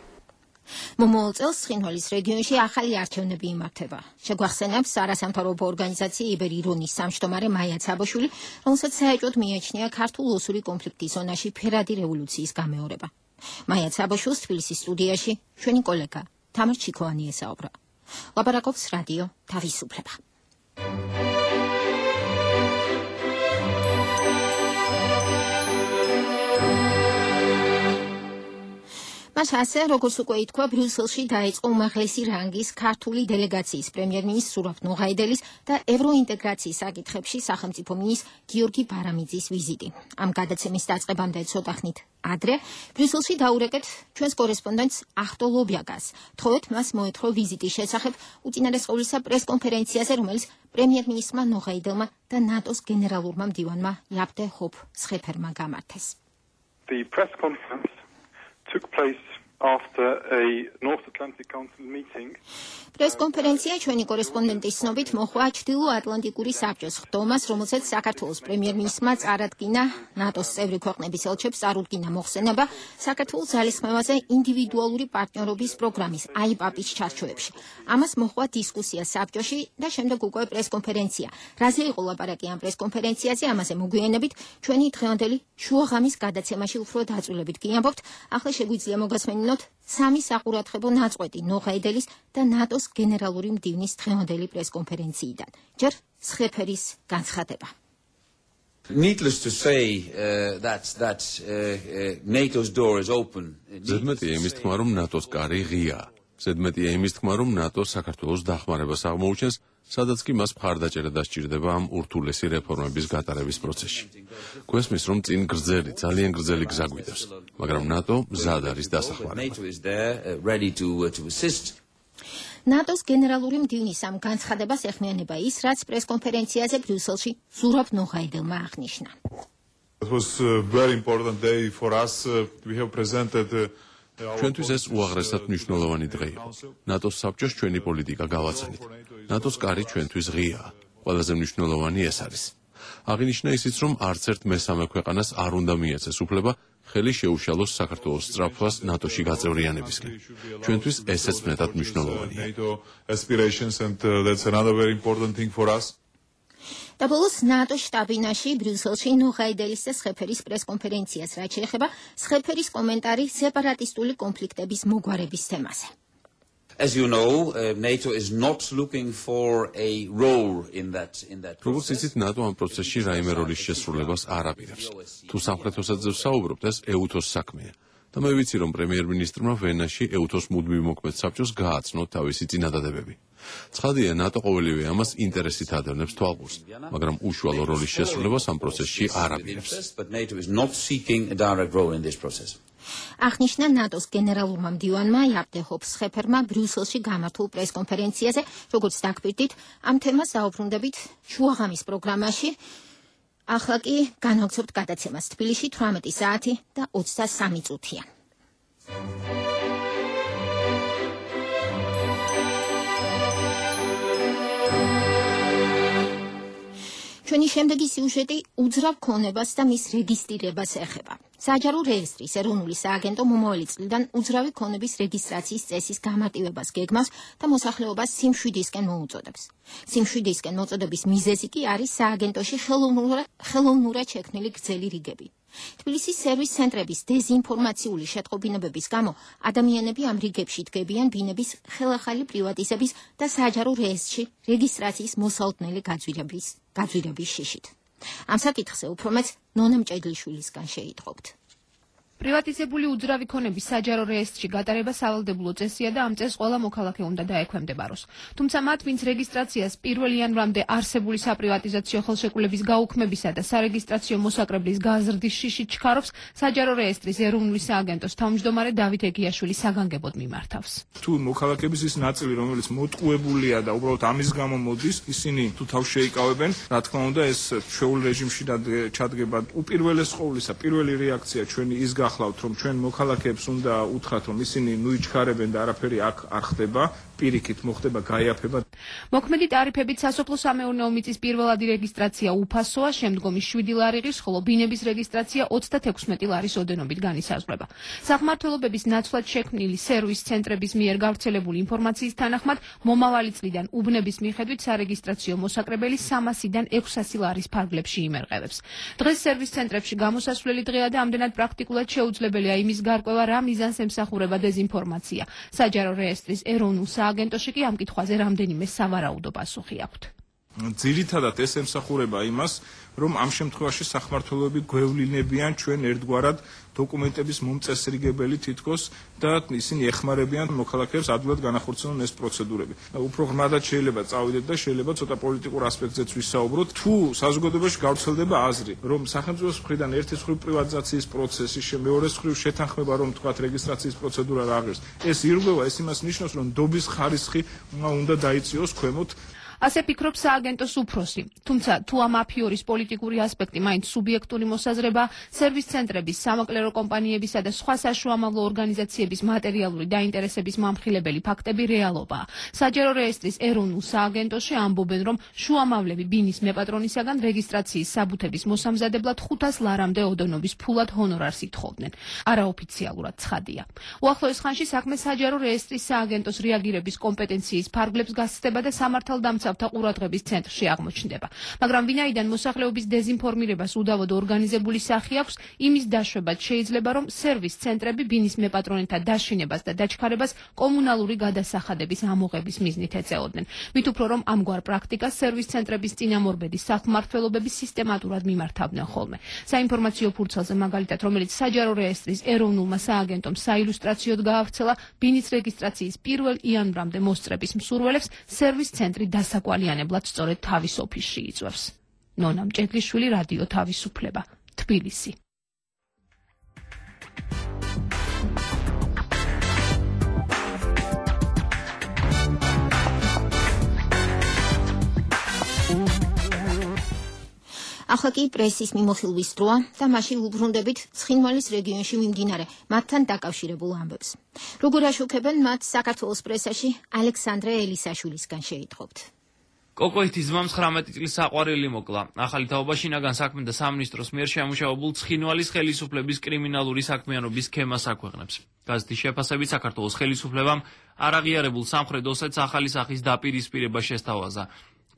მომავალ წელს ცხინვალის რეგიონში ახალი არჩევნები იმართება. შეგვახსენებს არასამთავრობო ორგანიზაცია იბერირონის სამშტომარე მაია ცაბოშვილი, რომელსაც საეჭვოდ მიაჩნია ქართულ ოსური კონფლიქტის ზონაში ფერადი რევოლუციის გამეორება. მაია ცაბოშვილს თბილისის სტუდიაში ჩვენი კოლეგა თამარ ჩიქოვანი ესაუბრა. ლაპარაკობს რადიო თავისუფლება. მას ასე, როგორც უკვე ითქვა, ბრიუსელში დაიწყო უმაღლესი რანგის ქართული დელეგაციის პრემიერ-მინისტრ სურაბ ნუღაიდელის და ევროინტეგრაციის საკითხებში სახელმწიფო მინისტრ გიორგი ბარამიძის ვიზიტი. ამ გადაცემის დაწყებამდე ცოტა ხნით ადრე ბრიუსელში დაურეკეთ ჩვენს კორესპონდენტს ახტო ლობიაგას. თხოვეთ მას მოეთხოვა ვიზიტის შესახებ უწინარესყოვლისა პრესკონფერენციაზე, რომელიც პრემიერ-მინისტრმა ნუღაიდელმა და ნატოს გენერალურმა მდივანმა იაპტე ჰოპ სხეფერმა გამართეს. The press conference took place after a North Atlantic Council meeting. პრესკონფერენცია ჩვენი კორესპონდენტის ცნობით მოხდა ჩრდილო-ატლანტიკური საბჭოს ხდომას, რომელსაც საქართველოს პრემიერ-მინისტრმა წარადგინა ნატოს წევრი ქვეყნების ელჩებს წარუდგინა მოხსენება საქართველოს ძალისხმევაზე ინდივიდუალური პარტნიორობის პროგრამის AIPAP-ის ჩარჩოებში. ამას მოხდა დისკუსია საბჭოში და შემდეგ უკვე პრესკონფერენცია. რაზე იყო ლაპარაკი ამ პრესკონფერენციაზე, ამაზე მოგვიანებით ჩვენი დღევანდელი შუაღამის გადაცემაში უფრო დაწვრილებით გიამბობთ. ახლა შეგვიძლია მოგასმენინოთ სამი საყურადღებო ნაწყვეტი ნუღაიდელის და ნატოს გენერალური მდივნის დღევანდელი პრესკონფერენციიდან. ჯერ სხეფერის განცხადება. Needless to say that NATO's door is open. ზედმეტია იმის თქმა, რომ ნატოს კარი ღიაა. ზედმეტია იმის თქმა, რომ ნატო საქართველოს დახმარებას აღმოუჩენს, სადაც კი მას მხარდაჭერა დასჭირდება ამ ურთულესი რეფორმების გატარების პროცესში. გვესმის, რომ წინ გრძელი, ძალიან გრძელი გზა გვიდევს, მაგრამ ნატო მზად არის დასახმარებლად. ნატოს გენერალური მდივნის ამ განცხადებას ეხმიანება ის, რაც პრესკონფერენციაზე ბრიუსელში სურაბ ნუღაიდელმა აღნიშნა. It was a very important day for us. We have presented ჩვენთვის ეს უაღრესად მნიშვნელოვანი დღე იყო. ნატოს საბჭოს ჩვენი პოლიტიკა გავაცანით. ნატოს კარი ჩვენთვის ღიაა. ყველაზე მნიშვნელოვანი ეს არის. აღინიშნა ისიც, რომ არც ერთ მესამე ქვეყანას არ უნდა მიეცეს უფლება ხელი შეუშალოს საქართველოს სწრაფვას ნატოში გაწევრიანებისკენ. ჩვენთვის ესეც მეტად მნიშვნელოვანია. და ბოლოს ნატოს შტაბ-ბინაში ბრიუსელში ნუღაიდელის და სხეფერის პრესკონფერენციას რაც შეეხება სხეფერის კომენტარი სეპარატისტული კონფლიქტების მოგვარების თემაზე. As you know, NATO is not looking for a role in that როგორც იცით, ნატო ამ პროცესში რაიმე როლის შესრულებას არ აპირებს. თუ სამხრეთოსაც საუბრობთ, ეს ეუთოს საქმეა. და მე ვიცი, რომ პრემიერ-მინისტრმა ვენაში ეუთოს მუდმივ მოქმედ საბჭოს გააცნო თავისი წინადადებები. ცხადია, ნატო ყოველივე ამას ინტერესით ადევნებს თვალყურს, მაგრამ უშუალო როლის შესრულებას ამ პროცესში არ აპირებს. აღნიშნა ნატოს გენერალურმა მდივანმა იაპტე ჰოპ სხეფერმა ბრიუსელში გამართულ პრესკონფერენციაზე, როგორც დაგკვირდით, ამ თემას დაუბრუნდებით შუაღამის პროგრამაში. ახლა კი განვაგრძობთ გადაცემას თბილისში 18 საათი და 23 წუთია. ჩვენი შემდეგი სიუჟეტი უძრავ ქონებას და მის რეგისტრირებას ეხება. საჯარო რეესტრის ეროვნული სააგენტო მომავალი წლიდან უძრავი ქონების რეგისტრაციის წესის გამარტივებას გეგმავს და მოსახლეობას სიმშვიდისკენ მოუწოდებს. სიმშვიდისკენ მოწოდების მიზეზი კი არის სააგენტოში ხელოვნურად შექმნილი გრძელი რიგები. თბილისის სერვის ცენტრების დეზინფორმაციული შეტყობინებების გამო ადამიანები ამ რიგებში დგებიან ბინების ხელახალი პრივატიზების და საჯარო რეესტრში რეგისტრაციის მოსალოდნელი გაძვირების შიშით. ამ საკითხზე უფრო მეც ნონა მჭედლიშვილისგან შეიტყობთ. პრივატიზებული უძრავი ქონების საჯარო რეესტრში გატარება სავალდებულო წესია და ამ წესს ყველა მოქალაქე უნდა დაექვემდებაროს. თუმცა მათ, ვინც რეგისტრაციას 1 იანვრამდე არსებული საპრივატიზაციო ხელშეკრულების გაუქმებისა და სარეგისტრაციო მოსაკრებლის გაზრდის შიშით ჩქარობს, საჯარო რეესტრის ეროვნული სააგენტოს თავმჯდომარე დავით ეგიაშვილი საგანგებოდ მიმართავს. თუ მოქალაქეების ის ნაწილი, რომელიც მოტყუებულია და უბრალოდ ამის გამო მოდის, ისინი თუ თავს შეიკავებენ, რა თქმა უნდა, ეს ჩვეულ რეჟიმში ჩადგება. უპირველეს ყოვლისა, პირველი რეაქცია ჩვენი ის გახლავთ, რომ ჩვენ მოქალაქეებს უნდა უთხრათ, რომ ისინი ნუიჩქარებენ და არაფერი აქ არ ხდება. პირიქით მოხდება გაიაფება. მოქმედი ტარიფებით სასოფლო-სამეურნეო მიწის პირველადი რეგისტრაცია უფასოა, შემდგომი 7 ლარი ღირს, ხოლო ბინების რეგისტრაცია 36 ლარის ოდენობით განისაზღვრება. სახმართველობების ნაცვლად შექმნილი სერვის ცენტრების მიერ გავრცელებული ინფორმაციის თანახმად, მომავალი წლიდან უბნების მიხედვით სარეგისტრაციო მოსაკრებელი 300-დან 600 ლარის ფარგლებში იმერყევებს. დღეს სერვის ცენტრებში გამოსასვლელი დღეა და ამდენად პრაქტიკულად შეუძლებელია იმის გარკვევა, რა მიზანს ემსახურება დეზინფორმაცია. საჯარო რეესტრის ეროვნულ სააგენტოში კი ამ კითხვაზე რამდენიმე სავარაუდო პასუხი აქვთ. ძირითადად ეს ემსახურება იმას, რომ ამ შემთხვევაში სახმართველოები გვევლინებიან ჩვენ ერთგვარად დოკუმენტების მომწესრიგებელი თითქოს და ისინი ეხმარებიან მოქალაქეებს ადვილად განახორციელონ ეს პროცედურები. უფრო ღრმადად შეიძლება წავიდეთ და შეიძლება ცოტა პოლიტიკურ ასპექტზეც ვისაუბროთ. თუ საზოგადოებაში გავრცელდება აზრი, რომ სახელმწიფოს მხრიდან ერთის მხრივ პრივატიზაციის პროცესი, მეორეს მხრივ შეთანხმება, რომ თქვათ რეგისტრაციის პროცედურა რა ღირს, ეს ირღვევა, ეს იმას ნიშნავს, რომ დობის ხარისხი უნდა დაიწიოს ქვემოთ. ასე ფიქრობს სააგენტოს უფროსი. თუმცა თუ ამ აფიორის პოლიტიკური ასპექტი მაინც სუბიექტური მოსაზრება, სერვის ცენტრების, სამოკლერო კომპანიებისა და სხვა საშუამავლო ორგანიზაციების მატერიალური დაინტერესების მამხილებელი ფაქტები რეალობაა. საჯარო რეესტრის ეროვნულ სააგენტოში ამბობენ, რომ შუამავლები ბინის მეპატრონისაგან რეგისტრაციის საბუთების მოსამზადებლად 500 ლარამდე ოდენობის ფულად ჰონორარს ითხოვდნენ. არაოფიციალურად ცხადია. უახლოეს ხანში საქმე საჯარო რეესტრის სააგენტოს რეაგირების კომპეტენციის ფარგლებს გასცდება და სამართალდამცავ ყურადღების ცენტრში აღმოჩნდება. მაგრამ ვინაიდან მოსახლეობის დეზინფორმირებას უდავოდ ორგანიზებული სახი აქვს, იმის დაშვებაც შეიძლება, რომ სერვის ცენტრები ბინის მეპატრონეთა დაშინებას და დაჩქარებას კომუნალური გადასახადების ამოღების მიზნით ეწეოდნენ. მით უფრო რომ ამგვარ პრაქტიკას სერვის ცენტრების წინამორბედი სახმართველობები სისტემატურად მიმართავდნენ ხოლმე. საინფორმაციო ფურცელზე მაგალითად, რომელიც საჯარო რეესტრის ეროვნულმა სააგენტომ საილუსტრაციოდ გაავრცელა, ბინის რეგისტრაციის 1 იანვრამდე მოსწრების მსურველებს სერვის ცენტრი დასაკვალიანებლად სწორედ თავის ოფისში იწვევს. ნონა მჭედლიშვილი, რადიო თავისუფლება, თბილისი. ახლა კი პრესის მიმოხილვის დროა და მაშინ ვუბრუნდებით ცხინვალის რეგიონში მიმდინარე მათთან დაკავშირებულ ამბებს. როგორ აშუქებენ მათ საქართველოს პრესაში, ალექსანდრე ელისაშვილისგან შეიტყობთ. კოკოითის ძმამ 19 წლის საყვარელი მოკლა. ახალი თაობა შინაგან საქმეთა სამინისტროს მიერ შემუშავებულ ცხინვალის ხელისუფლების კრიმინალური საქმიანობის სქემას აქვეყნებს. გაზეთის შეფასებით საქართველოს ხელისუფლებამ არაღიარებულ სამხრეთ ოსეთს ახალი სახის დაპირისპირება შესთავაზა.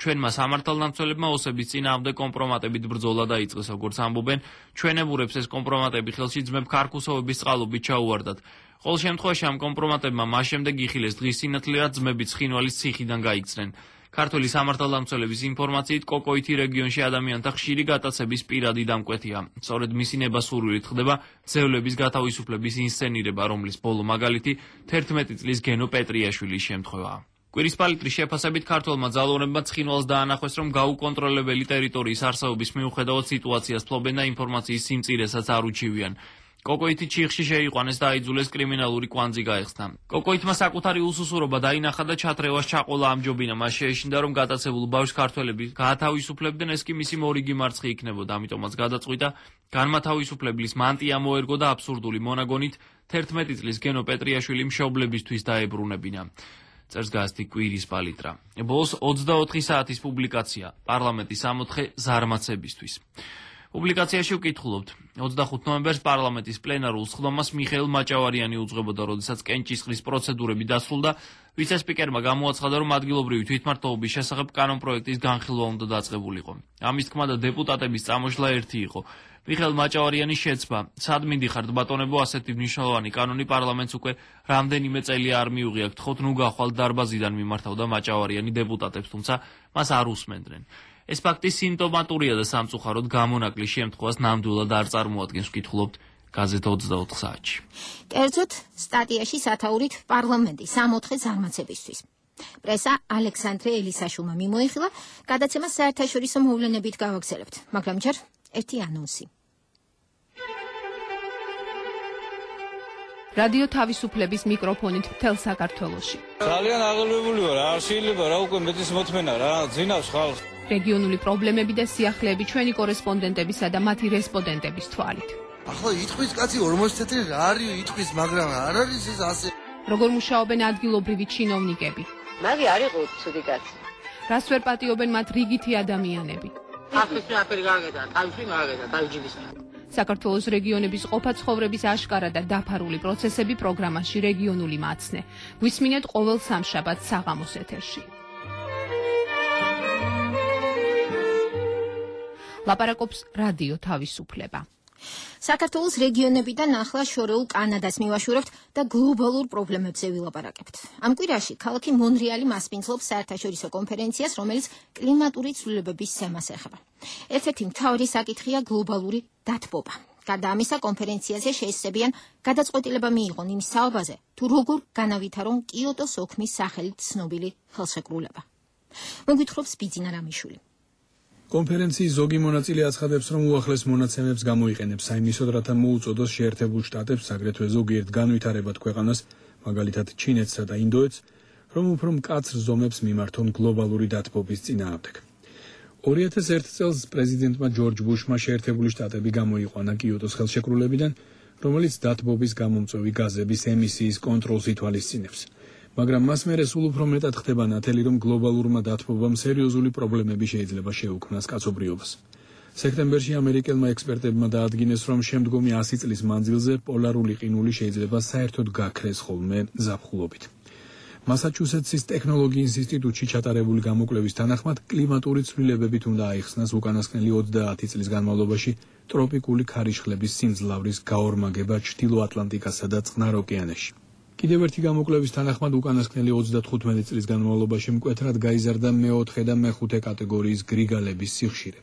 ჩვენმა სამართალდამცველებმა ოსების წინააღმდეგ კომპრომატებით ბრძოლა დაიწყეს, როგორც ამბობენ, ჩვენებურებს ეს კომპრომატები ხელში ძმებ ქარქუსოვების წყალობით ჩაუვარდათ. ყოველ შემთხვევაში ამ კომპრომატებმა მას შემდეგ იხილეს დღის სინათლე, რაც ძმები ცხინვალის ციხიდან გაიქცნენ. ქართული სამართალდამცველების ინფორმაციით, კოკოითი რეგიონში ადამიანთა ხშირი გატაცების პირადი დამკვეთია. სწორედ მისი ნებასურვილით ხდება ძევლების გათავისუფლების ინსცენირება, რომლის ბოლო მაგალითი 11 წლის გენო პეტრიაშვილის შემთხვევაა. კვირის პალიტრის შეფასებით ქართველმა ძალოვნებმა ცხინვალს დაანახეს, რომ გაუკონტროლებელი ტერიტორიის არსებობის მიუხედავად სიტუაციას ფლობენ და ინფორმაციის სიმწირესაც არ უჩივიან. კოკოითი ჩიხში შეიყვანეს და აიძულეს კრიმინალური კვანძი გაეხსნა. კოკოითმა საკუთარი უსუსურობა დაინახა და ჩათრევას ჩაყოლა ამჯობინა. მას შეეშინდა, რომ გატაცებულ ბავშვს ქართველები გაათავისუფლებდნენ, ეს კი მისი მორიგი მარცხი იქნებოდა. ამიტომაც გადაწყვიტა განმათავისუფლებლის მანტია მოერგო და აბსურდული მონაგონით 11 წლის გენო პეტრიაშვილი მშობლებისთვის დაებრუნებინა. წერს გაზეთი კვირის პალიტრა. ბოლოს 24 საათის პუბლიკაცია პარლამენტის ამოთხე ზარმაცებისთვის. პუბლიკაციაში ვკითხულობთ. 25 ნოემბერს პარლამენტის პლენარულ სხდომას მიხეილ მაჭავარიანი უძღვებოდა, როდესაც კენჭისყრის პროცედურები დასრულდა, ვიცე-სპიკერმა გამოაცხადა, რომ ადგილობრივი თვითმმართველობის შესახებ კანონპროექტის განხილვა უნდა დაწყებულიყო. ამის თქმა და დეპუტატების წამოშლა ერთი იყო. მიხეილ მაჭავარიანის შეცმა, სად მინდიხართ ბატონებო, ასეთი მნიშვნელოვანი კანონი პარლამენტს უკვე რამდენიმე წელია არ მიუღია, გთხოვთ ნუ გახვალთ დარბაზიდან, მიმართავდა მაჭავარიანი დეპუტატებს, თუმცა მას არ უსმენდნენ. ეს ფაქტი სიმპტომატურია და სამწუხაროდ გამონაკლის შემთხვევას ნამდვილად არ წარმოადგენს, ვკითხულობთ გაზეთ 24 საათში. კერძოდ, სტატიაში სათაურით პარლამენტი 64 ზარმაცებისთვის. პრესა ალექსანდრე ელისაშვილმა მიმოიხილა, გადაცემა საერთაშორისო მოვლენებით გავაგრძელებთ, მაგრამ ჯერ ერთი ანონსი. რადიო თავისუფლების მიკროფონით მთელ საქართველოში. ძალიან აღელვებული ვარ, არ შეიძლება რა უკვე მეტის მოთმენა რა, ძინავს ხალხს. რეგიონული პრობლემები და სიახლეები ჩვენი კორესპონდენტებისა და მათი რესპონდენტების თვალით. ახლა იტყვის კაცი 40 წელი რა არის იტყვის, მაგრამ არ არის ეს ასე. როგორ მუშაობენ ადგილობრივი ჩინოვნიკები? მაგი არ იყო ცუდი კაცი. რას ვერ პატიობენ მათ რიგითი ადამიანები? ახლის მეაფერი გააგედა, თავისი გააგედა, თავჯიბის. საქართველოს რეგიონების ყოფა-ცხოვრების აშკარა და დაფარული პროცესები პროგრამაში რეგიონული მაცნე. გვისმინეთ ყოველ სამშაბათს საღამოს ეთერში. ლაპარაკობს რადიო თავისუფლება. საქართველოს რეგიონებიდან ახლა შორეულ კანადას მივაშურებთ და გლობალურ პრობლემებზე ვილაპარაკებთ. ამ კვირაში ქალაქი მონრეალი მასპინძლობს საერთაშორისო კონფერენციას, რომელიც კლიმატური ცვლილებების თემას ეხება. ერთ-ერთი მთავარი საკითხია გლობალური დათბობა. გარდა ამისა, კონფერენციაზე შეესწებიან გადაწყვეტილება მიიღონ იმ საუბაზე, თუ როგორ განავითარონ კიოტოს ოქმის სახელით ცნობილი ხელშეკრულება. მოგვითხრობს ბიძინა რამიშვილი. კონფერენციის ზოგი მონაწილე აცხადებს, რომ უახლეს მონაცემებს გამოიყენებს საიმისოდ, რათა მოუწოდოს შეერთებულ შტატებს, აგრეთვე ზოგიერთ განვითარებად ქვეყანას, მაგალითად ჩინეთსა და ინდოეთს, რომ უფრო მკაცრ ზომებს მიმართონ გლობალური დათბობის წინააღმდეგ. 2001 წელს პრეზიდენტმა ჯორჯ ბუშმა შეერთებული შტატები გამოიყვანა კიოტოს ხელშეკრულებიდან, რომელიც დათბობის გამომწვევი გაზების ემისიის კონტროლს ითვალისწინებს. მაგრამ მას მერე სულ უფრო მეტად ხდება ნათელი, რომ გლობალურმა დათბობამ სერიოზული პრობლემები შეიძლება შეუქმნას კაცობრიობას. სექტემბერში ამერიკელმა ექსპერტებმა დაადგინეს, რომ შემდგომი 100 წლის მანძილზე პოლარული ყინული შეიძლება საერთოდ გაქრეს ხოლმე ზაფხულობით. მასაჩუსეტსის ტექნოლოგიის ინსტიტუტში ჩატარებული გამოკვლევის თანახმად, კლიმატური ცვლილებებით უნდა აიხსნას უკანასკნელი 30 წლის განმავლობაში ტროპიკული ქარიშხლების სიმძლავრის გაორმაგება ჩრდილო ატლანტიკასა და წყნარ ოკეანეში. კიდევ ერთი გამოკვლევის თანახმად, უკანასკნელი 35 წლის განმავლობაში მკვეთრად გაიზარდა მეოთხე და მეხუთე კატეგორიის გრიგალების სიხშირე.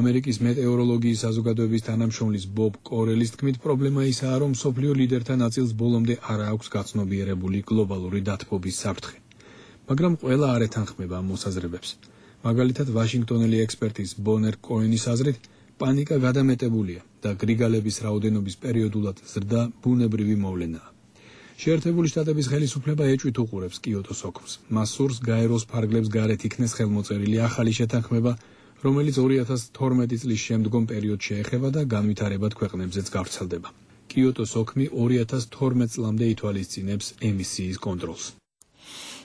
ამერიკის მეტეოროლოგიის საზოგადოების თანამშრომლის ბობ კორელის თქმით, პრობლემა ისაა, რომ მსოფლიო ლიდერთა ნაწილს ბოლომდე არ აქვს გაცნობიერებული გლობალური დათბობის საფრთხე. მაგრამ ყველა არ ეთანხმება ამ მოსაზრებებს. მაგალითად, ვაშინგტონელი ექსპერტის ბონერ კოენის აზრით, პანიკა გადამეტებულია და გრიგალების რაოდენობის პერიოდულად ზრდა ბუნებრივი მოვლენაა. შეერთებული შტატების ხელისუფლება ეჭვით უყურებს კიოტოს ოქმს. მას სურს გაეროს ფარგლებს გარეთ იქნეს ხელმოწერილი ახალი შეთანხმება, რომელიც 2012 წლის შემდგომ პერიოდს შეეხება და განვითარებად ქვეყნებზეც გავრცელდება. კიოტოს ოქმი 2012 წლამდე ითვალისწინებს ემისიის კონტროლს.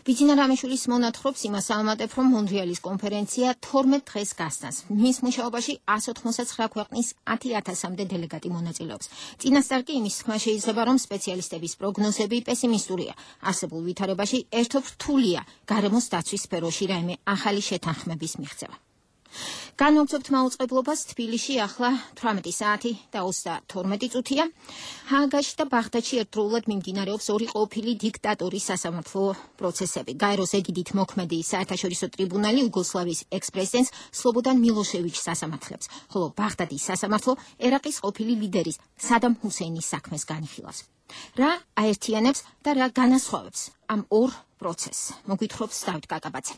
ბიძინა რამიშვილის მონათხრობს იმას ამატებ, რომ მონრეალის კონფერენცია 12 დღეს გასცემს. მის მუშაობაში 189 ქვეყნის 10,000-მდე დელეგატი მონაწილეობს. წინასწარ კი იმის თქმა შეიძლება, რომ სპეციალისტების პროგნოზები პესიმისტურია. არსებულ ვითარებაში ერთობ რთულია გარემოს დაცვის სფეროში რაიმე ახალი შეთანხმების მიღწევა. განვაგრძობთ მაუწყებლობას. თბილისში ახლა 18 საათი და 32 წუთია. ჰააგაში და ბაღდადში ერთდროულად მიმდინარეობს ორი ყოფილი დიქტატორის სასამართლო პროცესები. გაეროს ეგიდით მოქმედი საერთაშორისო ტრიბუნალი იუგოსლავიის ექს-პრეზიდენტს სლობოდან მილოშევიჩს ასამართლებს, ხოლო ბაღდადის სასამართლო ერაყის ყოფილი ლიდერის სადამ ჰუსეინის საქმეს განიხილავს. რა აერთიანებს და რა განასხვავებს ამ ორ პროცესს? მოგვითხრობს დავით კაკაბაძე.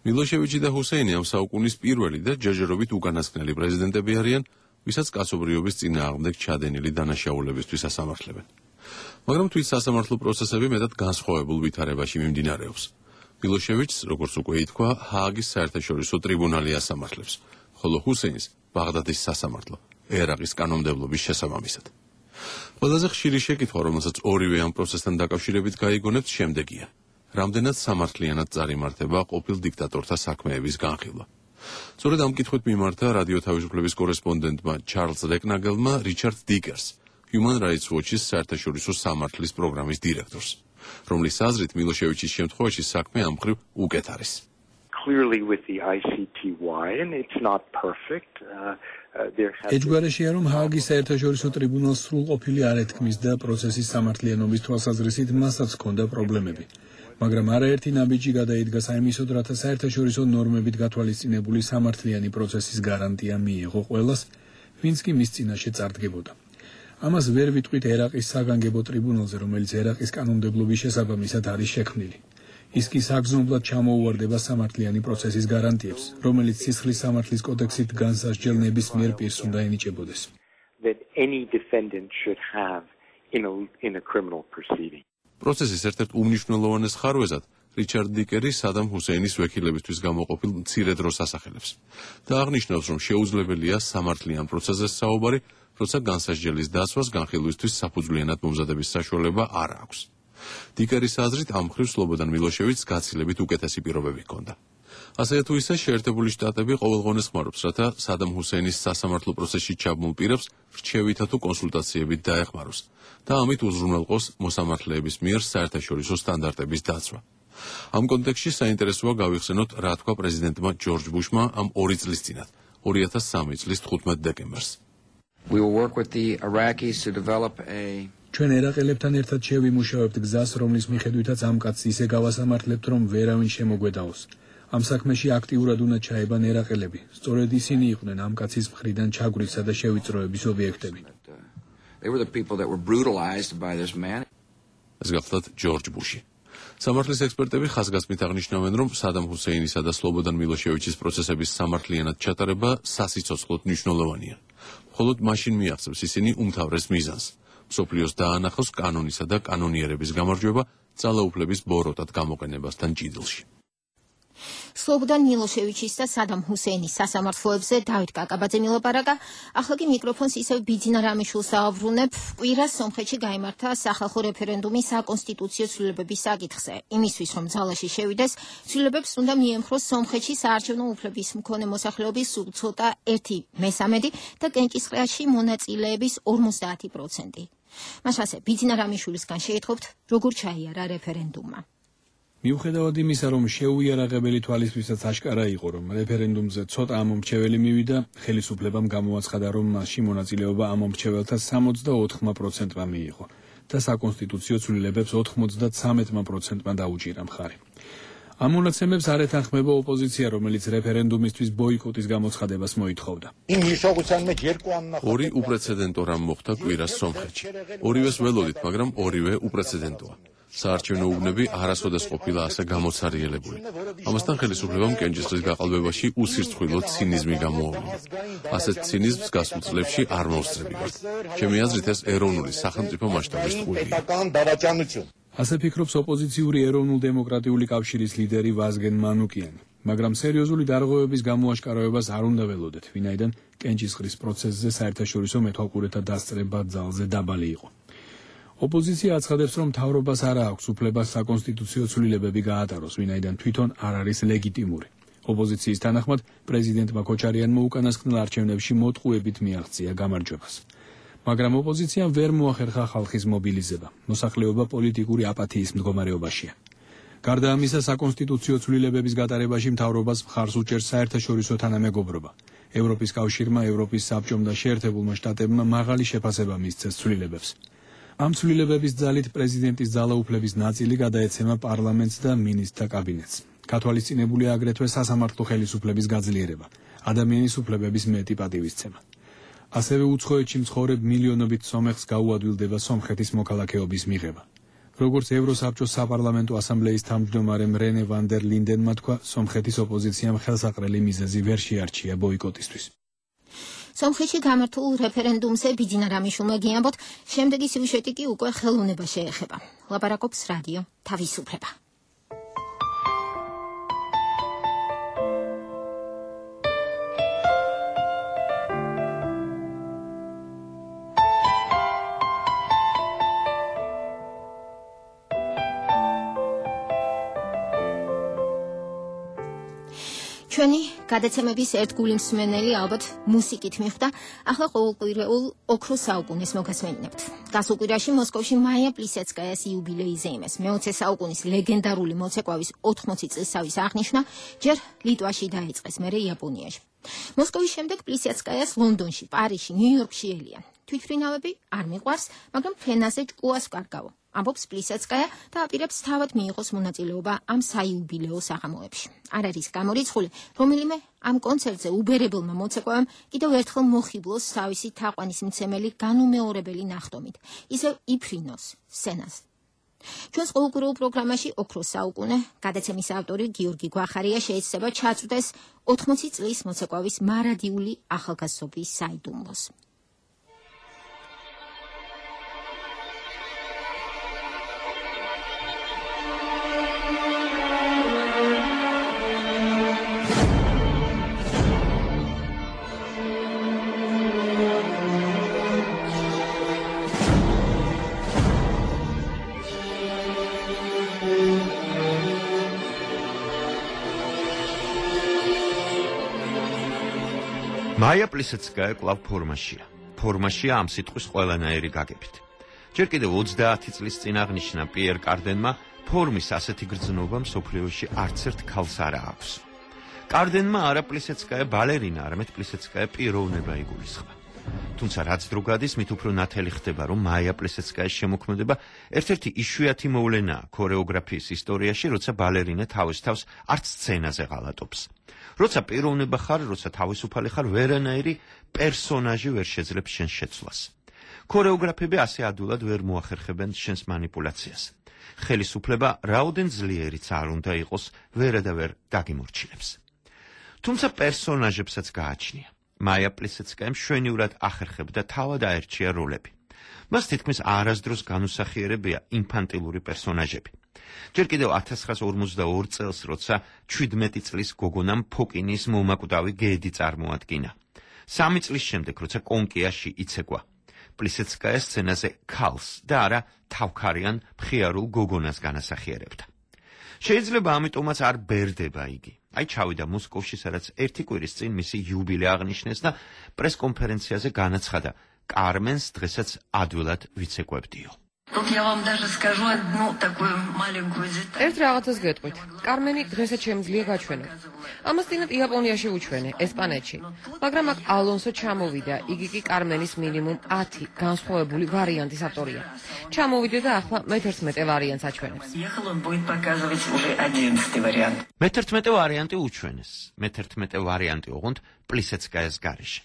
მილოშევიჩი და ჰუსეინი ამ საუკუნის პირველი და ჯერჯერობით უკანასკნელი პრეზიდენტები არიან, ვისაც კაცობრიობის წინააღმდეგ ჩადენილი დანაშაულებისთვის ასამართლებენ. მაგრამ თვით სასამართლო პროცესები მეტად განსხვავებულ ვითარებაში მიმდინარეობს. მილოშევიჩს, როგორც უკვე ითქვა, ჰააგის საერთაშორისო ტრიბუნალი ასამართლებს, ხოლო ჰუსეინს ბაღდადის სასამართლო ერაყის კანონმდებლობის შესაბამისად. ყველაზე ხშირი შეკითხვა, რომელსაც ორივე ამ პროცესთან დაკავშირებით გაიგონებთ, შემდეგია: რამდენად სამართლიანად წარიმართება ყოფილ დიქტატორთა საქმეების განხილვა. სწორედ ამ კითხვით მიმართა რადიო თავისუფლების კორესპონდენტმა ჩარლზ რეკნაგელმა რიჩარდ დიკერს, Human Rights Watch-ის საერთაშორისო სამართლის პროგრამის დირექტორს, რომლის აზრით მილოშევიჩის შემთხვევაში საქმე ამ მხრივ უკეთ არის. Clearly with the ICTY and it's not perfect. ეჯგვარაშია, რომ ჰააგის საერთაშორისო ტრიბუნალს სრულყოფილი არ ეთქმის და პროცესის სამართლიანობის თვალსაზრისით მასაც ჰქონდა პრობლემები. მაგრამ არაერთი ნაბიჯი გადაიდგა საიმისოდ, რათა საერთაშორისო ნორმებით გათვალისწინებული სამართლიანი პროცესის გარანტია მიიღო ყველას, ვინც კი მის წინაშე წარდგებოდა. ამას ვერ ვიტყვით ერაყის საგანგებო ტრიბუნალზე, რომელიც ერაყის კანონმდებლობის შესაბამისად არის შექმნილი. ის კი საგრძნობლად ჩამოუვარდება სამართლიანი პროცესის გარანტიებს, რომელიც სისხლის სამართლის კოდექსით განსასჯელ ნებისმიერ პირს უნდა ენიჭებოდეს. that any defendant should have in a criminal proceeding. პროცესის ერთ-ერთ უმნიშვნელოვანეს ხარვეზად რიჩარდ დიკერი სადამ ჰუსეინის ვექილებისთვის გამოყოფილ მცირე დროს ასახელებს და აღნიშნავს, რომ შეუძლებელია სამართლიან პროცესზე საუბარი, როცა განსასჯელის დაცვას განხილვისთვის საფუძვლიანად მომზადების საშუალება არ აქვს. დიკერის აზრით ამ მხრივ სლობოდან მილოშევიჩს გაცილებით უკეთესი პირობები ჰქონდა. ასევე თუ ისე შეერთებული შტატები ყოველგვარს ხმარობს, რათა სადამ ჰუსეინის სასამართლო პროცესში ჩაბმულ პირებს რჩევითა თუ კონსულტაციებით დაეხმაროს და ამით უზრუნველყოს მოსამართლეების მიერ საერთაშორისო სტანდარტების დაცვა. ამ კონტექსტში საინტერესოა გავიხსენოთ, რა თქვა პრეზიდენტმა ჯორჯ ბუშმა ამ 2 წლის წინათ, 2003 წლის 15 დეკემბერს. We will work with the Iraqis to develop a ჩვენ ერაყელებთან ერთად შევიმუშავებთ გზას, რომლის მიხედვითაც ამ კაცს ისე გავასამართლებთ, რომ ვერავინ შემოგვედაოს. ამ საქმეში აქტიურად უნდა ჩაებან ერაყელები. სწორედ ისინი იყვნენ ამ კაცის მხრიდან ჩაგვრისა და შევიწროების ობიექტები. They were the people that were brutalized by this man. ეს გახლავთ ჯორჯ ბუში. სამართლის ექსპერტები ხაზგასმით აღნიშნავენ, რომ სადამ ჰუსეინისა და სლობოდან მილოშევიჩის პროცესების სამართლიანად ჩატარება სასიცოცხლოდ მნიშვნელოვანია. მხოლოდ მაშინ მიაღწევს ისინი უმთავრეს მიზანს. მსოფლიოს დაანახოს კანონისა და კანონიერების გამარჯვება ძალაუფლების ბოროტად გამოყენებასთან ჭიდილში. სლობოდან მილოშევიჩის და სადამ ჰუსეინის სასამართლოებზე დავით კაკაბაძე მილაპარაკა. ახლა კი მიკროფონს ისევ ბიძინა რამიშვილს აავრუნებ. კვირას სომხეთში გაიმართა სახალხო რეფერენდუმი საკონსტიტუციო ცვლილებების საკითხზე. იმისთვის, რომ ძალაში შევიდეს, ცვლილებებს უნდა მიემხროს სომხეთში საარჩევნო უფლების მქონე მოსახლეობის სულ ცოტა 1/13 და კენჭისყრაში მონაწილეების 50%. მაშასე ბიძინა რამიშვილისგან შეითხოვთ, როგორ ჩაიარა რეფერენდუმმა. მიუხედავად იმისა, რომ შეუიარაღებელი თვალისთვისაც აშკარა იყო, რომ რეფერენდუმზე ცოტა ამომრჩეველი მივიდა, ხელისუფლებამ გამოაცხადა, რომ მასში მონაწილეობა ამომრჩეველთა 64%-მა მიიღო და საკონსტიტუციო ცვლილებებს 93%-მა დაუჭირა მხარი. ამ მონაცემებს არ ეთანხმება ოპოზიცია, რომელიც რეფერენდუმისთვის ბოიკოტის გამოცხადებას მოითხოვდა. ორი უპრეცედენტო რამ მოხდა კვირას სომხეთში. ორივეს ველოდით, მაგრამ ორივე უპრეცედენტოა. საარჩევნო უბნები არასოდეს ყოფილა ასე გამოცარიელებული. ამასთან ხელისუფლებამ კენჭისყრის გაყალბებაში უსირცხვილო ცინიზმი გამოავლინა. ასეთ ცინიზმს გასულ წლებში არ მოусწრებია. ჩემი აზრით ეს ეროვნული სახელმწიფო მასშტაბის ტყუილია. ასე ფიქრობს ოპოზიციური ეროვნულ-დემოკრატიული კავშირის ლიდერი ვაზგენ მანუკიანი, მაგრამ სერიოზული დარღვევების გამოაშკარავებას არ უნდა ველოდეთ, ვინაიდან კენჭისყრის პროცესზე საერთაშორისო მეთვალყურეთა დასწრება ძალზე დაბალი იყო. ოპოზიცია აცხადებს, რომ მთავრობას არ აქვს უფლება საკონსტიტუციო ცვლილებები გაატაროს, ვინაიდან თვითონ არ არის ლეგიტიმური. ოპოზიციის თანახმად, პრეზიდენტმა ქოჩარიანმა უკანასკნელ არჩევნებში მოტყუებით მიაღწია გამარჯვებას. მაგრამ ოპოზიციამ ვერ მოახერხა ხალხის მობილიზება. მოსახლეობა პოლიტიკური აპათიის მდგომარეობაშია. გარდა ამისა, საკონსტიტუციო ცვლილებების გატარებაში მთავრობას მხარს უჭერს საერთაშორისო თანამეგობრობა. ევროპის კავშირმა, ევროპის საბჭომ და შეერთებულმა შტატებმა მაღალი შეფასება მისცეს ცვლილებებს. ამ ცვლილებების ძალით პრეზიდენტის ძალაუფლების ნაწილი გადაეცემა პარლამენტს და მინისტრთა კაბინეტს. გათვალისწინებულია აგრეთვე სასამართლო ხელისუფლების გაძლიერება, ადამიანის უფლებების მეტი პატივისცემა. ასევე უცხოეთში მცხოვრებ მილიონობით სომეხს გაუადვილდება სომხეთის მოქალაქეობის მიღება. როგორც ევროსაბჭოს საპარლამენტო ასამბლეის თავმჯდომარემ რენე ვან დერ ლინდენმა თქვა, სომხეთის ოპოზიციამ ხელსაყრელი მიზეზი ვერ შეარჩია ბოიკოტისთვის. სომხეთში გამართულ რეფერენდუმზე ბიძინა რამიშვილმა გიამბოთ, შემდეგი სიუჟეტი კი უკვე ხელოვნება შეეხება. ლაპარაკობს რადიო თავისუფლება. ჩვენი გადაცემების ერთგული მსმენელი ალბათ მუსიკით მიხვდა, ახლა ყოველკვირეულ ოქროს საუკუნეს მოგასმენინებთ. გასულ კვირაში მოსკოვში მაია პლისეცკაიას იუბილეიზე იმეს მე-20 საუკუნის ლეგენდარული მოცეკვავის 80 წლისავის აღნიშვნა ჯერ ლიტვაში დაიწყეს, მერე იაპონიაში. მოსკოვის შემდეგ პლისეცკაიას ლონდონში, პარიზში, ნიუ-იორკში ელიან. თვითმფრინავები არ მიყვარს, მაგრამ ფენაზე ჭკუას ვკარგავო. ამბობს პლისეცკაია და აპირებს თავად მიიღოს მონაწილეობა ამ საიუბილეო საღამოებში. არ არის გამორიცხული, რომელიმე ამ კონცერტზე უბერებელმა მოცეკვავემ კიდევ ერთხელ მოხიბლოს თავისი თაყვანისმცემელი განუმეორებელი ნახტომით, ისევ იფრინოს სცენაზე. ჩვენს ყოველკვირეულ პროგრამაში ოქროს საუკუნე გადაცემის ავტორი გიორგი გვახარია შეეცდება ჩაწვდეს 80 წლის მოცეკვავის მარადიული ახალგაზრდობის საიდუმლოს. მაია პლისეცკაია კვლავ ფორმაშია ამ სიტყვის ყველანაირი გაგებით. ჯერ კიდევ 30 წლის წინ აღნიშნა პიერ კარდენმა, ფორმის ასეთი გრძნობა მსოფლიოში არც ერთ ქალს არ აქვს. კარდენმა არა პლისეცკაია ბალერინა, არამედ პლისეცკაია პიროვნება იგულისხმა. თუმცა რაც დრო გადის, მით უფრო ნათელი ხდება, რომ მაია პლისეცკაის შემოქმედება ერთ-ერთი იშვიათი მოვლენაა ქორეოგრაფიის ისტორიაში, როცა ბალერინა თავის თავს არც სცენაზე ღალატობს. როცა პიროვნება ხარ, როცა თავისუფალი ხარ, ვერანაირი პერსონაჟი ვერ შეძლებს შენ შეცვლას. ქორეოგრაფები ასე ადვილად ვერ მოახერხებენ შენს манипуляციას. ხელისუფლება რაოდენ ძლიერიც არ უნდა იყოს, ვერადავერ გაგიმორჩილებს. თუმცა პერსონაჟებსაც გააჩნია. მაია პლისეცკაია მშვენივრად ახერხებდა თავად აერჩია როლები. მას თითქმის არასდროს განუსახიერებია ინფანტილური პერსონაჟები. ჯერ კიდევ 1942 წელს, როცა 17 წლის გოგონამ ფოკინის მომაკვდავი გედი წარმოადგინა. 3 წლის შემდეგ, როცა კონკიაში იცეკვა, პლისეცკაია სცენაზე ქალს და არა თავქარიან მხიარულ გოგონას განასახიერებდა. შეიძლება ამიტომაც არ ბერდება იგი. აი ჩავიდა მოსკოვში, სადაც ერთი კვირის წინ მისი იუბილე აღნიშნეს და პრესკონფერენციაზე განაცხადა, კარმენს დღესაც ადვილად ვიცეკვებდიო. ერთ რაღაცას გეტყვით. კარმენი დღესაც შემიძლია გაჩვენო. ამას წინათ იაპონიაში უჩვენე, ესპანეთში. მაგრამ აქ ალონსო ჩამოვიდა, იგი კი კარმენის მინიმუმ 10 განსხვავებული ვარიანტის ავტორია. ჩამოვიდა და ახლა მე-11 ვარიანტს აჩვენებს. მე-11 ვარიანტი უჩვენეს. მე-11 ვარიანტი ოღონდ პლისეცკაიას გარეშე.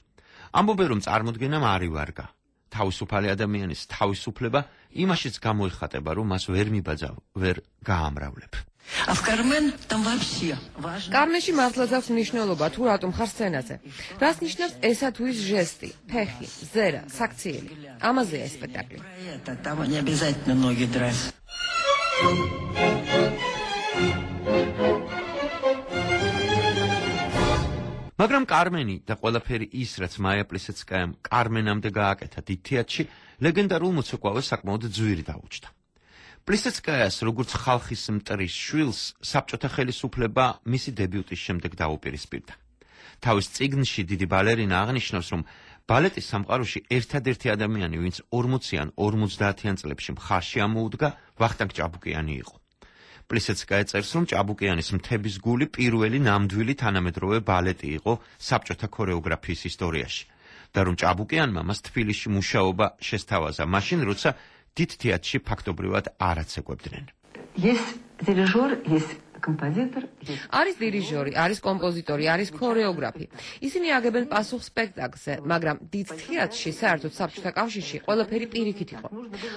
ამბობენ, რომ წარმოდგენამ არ ივარგა. თავისუფალი ადამიანის თავისუფლება იმაშიც გამოიხატება, რომ მას ვერ მიბაძავ, ვერ გაამრავლებ. კარმენში მართლაც აქვს მნიშვნელობა, თუ რატომ ხარ სცენაზე. რას ნიშნავს ესა თუ ის ჟესტი, ფეხი, ზერა, საქციელი. ამაზეა ეს სპექტაკლი. მაგრამ კარმენი და ყველაფერი ის, რაც მაია პლისეცკაიამ კარმენამდე გააკეთა დიდ თეატრში, ლეგენდარულ მოცეკვავეს საკმაოდ ძვირი დაუჭდა. პლისეცკაიას, როგორც ხალხის მტრის შვილს, საბჭოთა ხელისუფლება მისი დებიუტის შემდეგ დაუპირისპირდა. თავის წიგნში დიდი ბალერინა აღნიშნავს, რომ ბალეტის სამყაროში ერთადერთი ადამიანი, ვინც 40-იან 50-იან წლებში მხარში ამოუდგა, ვახტანგ ჭაბუკიანი იყო. პლისეცკაია წერს, რომ ჭაბუკიანის მთების გული პირველი ნამდვილი თანამედროვე ბალეტი იყო საბჭოთა ქორეოგრაფიის ისტორიაში და რომ ჭაბუკიანმა მას თბილისში მუშაობა შესთავაზა, მაშინ როცა დიდ თეატრში ფაქტობრივად არაც ეკვებდნენ. არის დირიჟორი, არის კომპოზიტორი, არის ქორეოგრაფი. ისინი აგებენ პასუხს სპექტაკლზე, მაგრამ დიდ თეატრში, საერთოდ საბჭოთა კავშირში, ყველაფერი პირიქით იყო.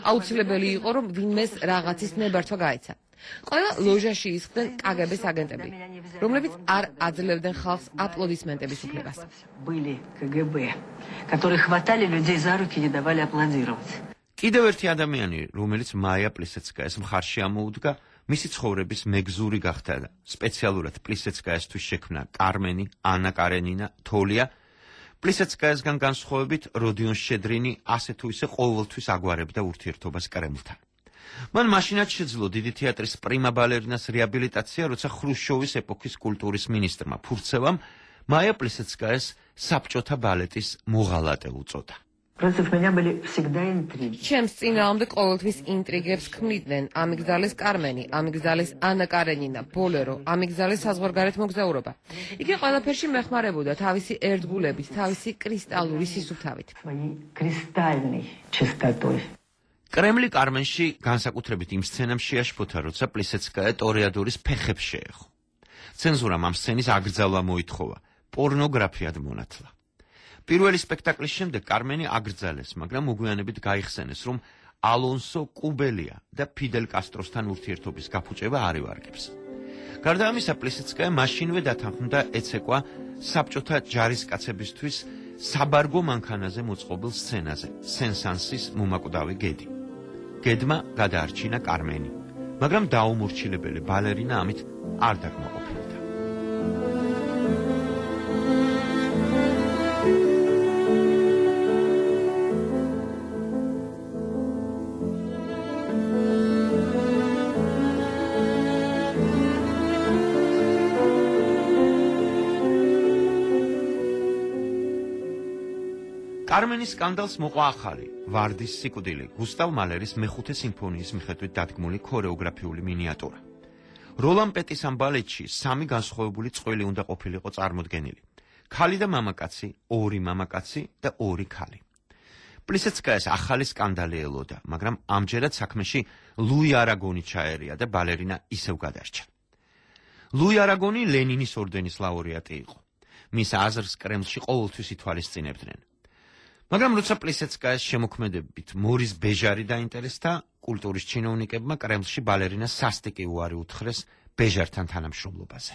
აუცილებელი იყო, რომ ვინმეს რაღაცის ნებართვა გაეცა. ყველა ლოჟაში ისხდნენ კგბ-ს აგენტები, რომლებიც არ აძლევდნენ ხალხს აპლოდისმენტების უფლებას. კიდევ ერთი ადამიანი, რომელიც მაია პლისეცკაიას მხარში ამოუდგა, მისი ცხოვრების მეგზური გახდა და სპეციალურად პლისეცკაიასთვის შექმნა კარმენი, ანა კარენინა, თოლია. პლისეცკაიასგან განსხვავებით, როდიონ შედრინი ასე თუ ისე ყოველთვის აგვარებდა ურთიერთობას კრემლთან. მან მაშინაც შეძლო დიდი თეატრის პრიმა ბალერინას რეაბილიტაცია, როცა ხრუშჩოვის ეპოქის კულტურის მინისტრმა ფურცევამ მაია პლისეცკაიას საბჭოთა ბალეტის მოღალატე უწოდა. ჩემს წინააღმდეგ ყოველთვის ინტრიგებს ქმნიდნენ, ამიგდალეს კარმენი, ამიგდალეს ანა კარენინა, ბოლერო, ამიგდალეს საზღვარგარეთ მოგზაურობა. იგი ყველაფერში მეხმარებოდა თავისი ერთგულებით, თავისი კრისტალური სისუფთავით. კრემლი კარმენში განსაკუთრებით იმ სცენამ შეაშფოთა, როცა პლისეცკაია ტორეადორის ფეხებს შეეხო. ცენზურამ ამ სცენის აგრძალვა მოითხოვა, პორნოგრაფიად მონათლა. პირველი სპექტაკლის შემდეგ კარმენი აგრძელეს, მაგრამ მოგვიანებით გაიხსენეს, რომ ალონსო კუბელია და ფიდელ კასტროსთან ურთიერთობის გაფუჭება არ ევარგებს. გარდა ამისა, პლისეცკაია მაშინვე დათანხმდა ეცეკვა საბჭოთა ჯარისკაცებისთვის საბარგო მანქანაზე მოწყობილ სცენაზე, სენ-სანსის მომაკვდავი გედი. გედმა გადაარჩინა კარმენი, მაგრამ დაუმორჩილებელი ბალერინა ამით არ დაკმაყოფილდა. კარმენის სკანდალს მოყვა ახალი, ვარდის სიკვდილი, გუსტავ მალერის მეხუთე სიმფონიის მიხედვით დადგმული ქორეოგრაფიული მინიატურა. როლან პეტის ამ ბალეტში 3 განსხვავებული წყვილი უნდა ყოფილიყო წარმოდგენილი. ქალი და მამაკაცი, 2 მამაკაცი და 2 ქალი. პლისეცკაიას ახალი სკანდალი ელოდა, მაგრამ ამჯერად საქმეში ლუი არაგონი ჩაერია და ბალერინა ისევ გადარჩა. ლუი არაგონი ლენინის ორდენის ლაურეატი იყო. მის აზრს კრემლში ყოველთვის ითვალისწინებდნენ. მაგრამ როცა პლისეცკაიას შემოქმედებით მორის ბეჟარი დაინტერესდა, კულტურის ჩინოვნიკებმა კრემლში ბალერინას სასტიკი უარი უთხრეს ბეჟართან თანამშრომლობაზე.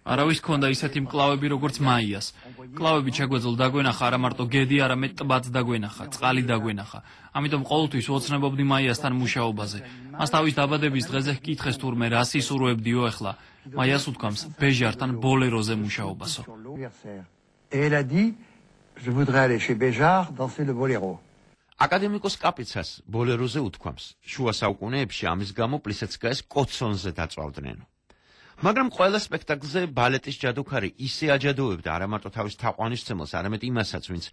არავის ქონდა ისეთი მკლავები, როგორც მაიას. მკლავები ჩაგვეძლო დაგვენახა არა მარტო გედი, არამედ ტბაც დაგვენახა, წყალი დაგვენახა. ამიტომ ყოველთვის ვოცნებობდი მაიასთან მუშაობაზე. მას თავის დაბადების დღეზე ჰკითხეს თურმე რა სისურვებდიო ახლა. მაიას უთქვამს ბეჟართან ბოლეროზე მუშაობასო. Et elle a dit, je voudrais aller chez Béjart danser le boléro. აკადემიკოს კაპიცას ბოლეროზე უთქვამს. შუა საუკუნეებში ამის გამო პლისეცკაიას კოცონზე დაწვავდნენ. მაგრამ ყველა სპექტაკლზე ბალეტის ჯადოქარი ისე აჯადოებდა არა მარტო თავის თაყვანისმცემელს, არამედ იმასაც, ვინც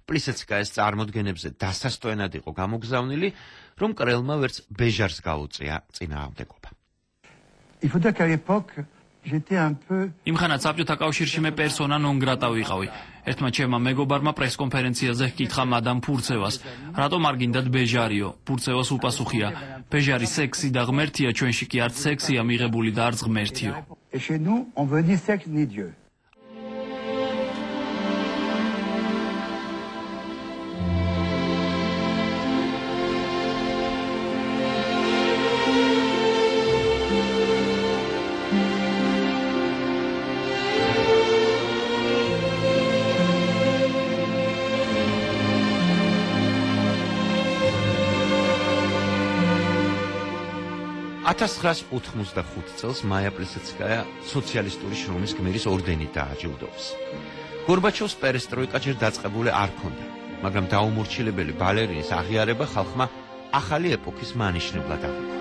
პლისეცკაიას წარმოდგენებზე დასასტვენად იყო გამოგზავნილი, რომ კრელმა ვერც ბეჟარს გაუწია წინააღმდეგობა. Il faut dire qu'à l'époque, j'étais un peu იმხანად საბჭოთა კავშირში მე პერსონა ნონ გრატა ვიყავი. ერთმა ჩემმა მეგობარმა პრესკონფერენციაზე ჰკითხა მადამ ფურცევას, რატომ არ გინდათ ბეჟარიო? ფურცევას უპასუხია, ბეჟარი სექსი და ღმერთია, ჩვენში კი არც სექსია მიღებული და არც ღმერთიო. Et chez nous, on veut ni sexe ni Dieu. წელს მაია პლისეცკაია სოციალისტური შრომის გმირის ორდენით დააჯილდოვეს. გორბაჩოვს პერესტროიკა ჯერ დაწყებული არ ჰქონდა, მაგრამ დაუმორჩილებელი ბალერინის აღიარება ხალხმა ახალი ეპოქის მანიშნებლად აღიქვა.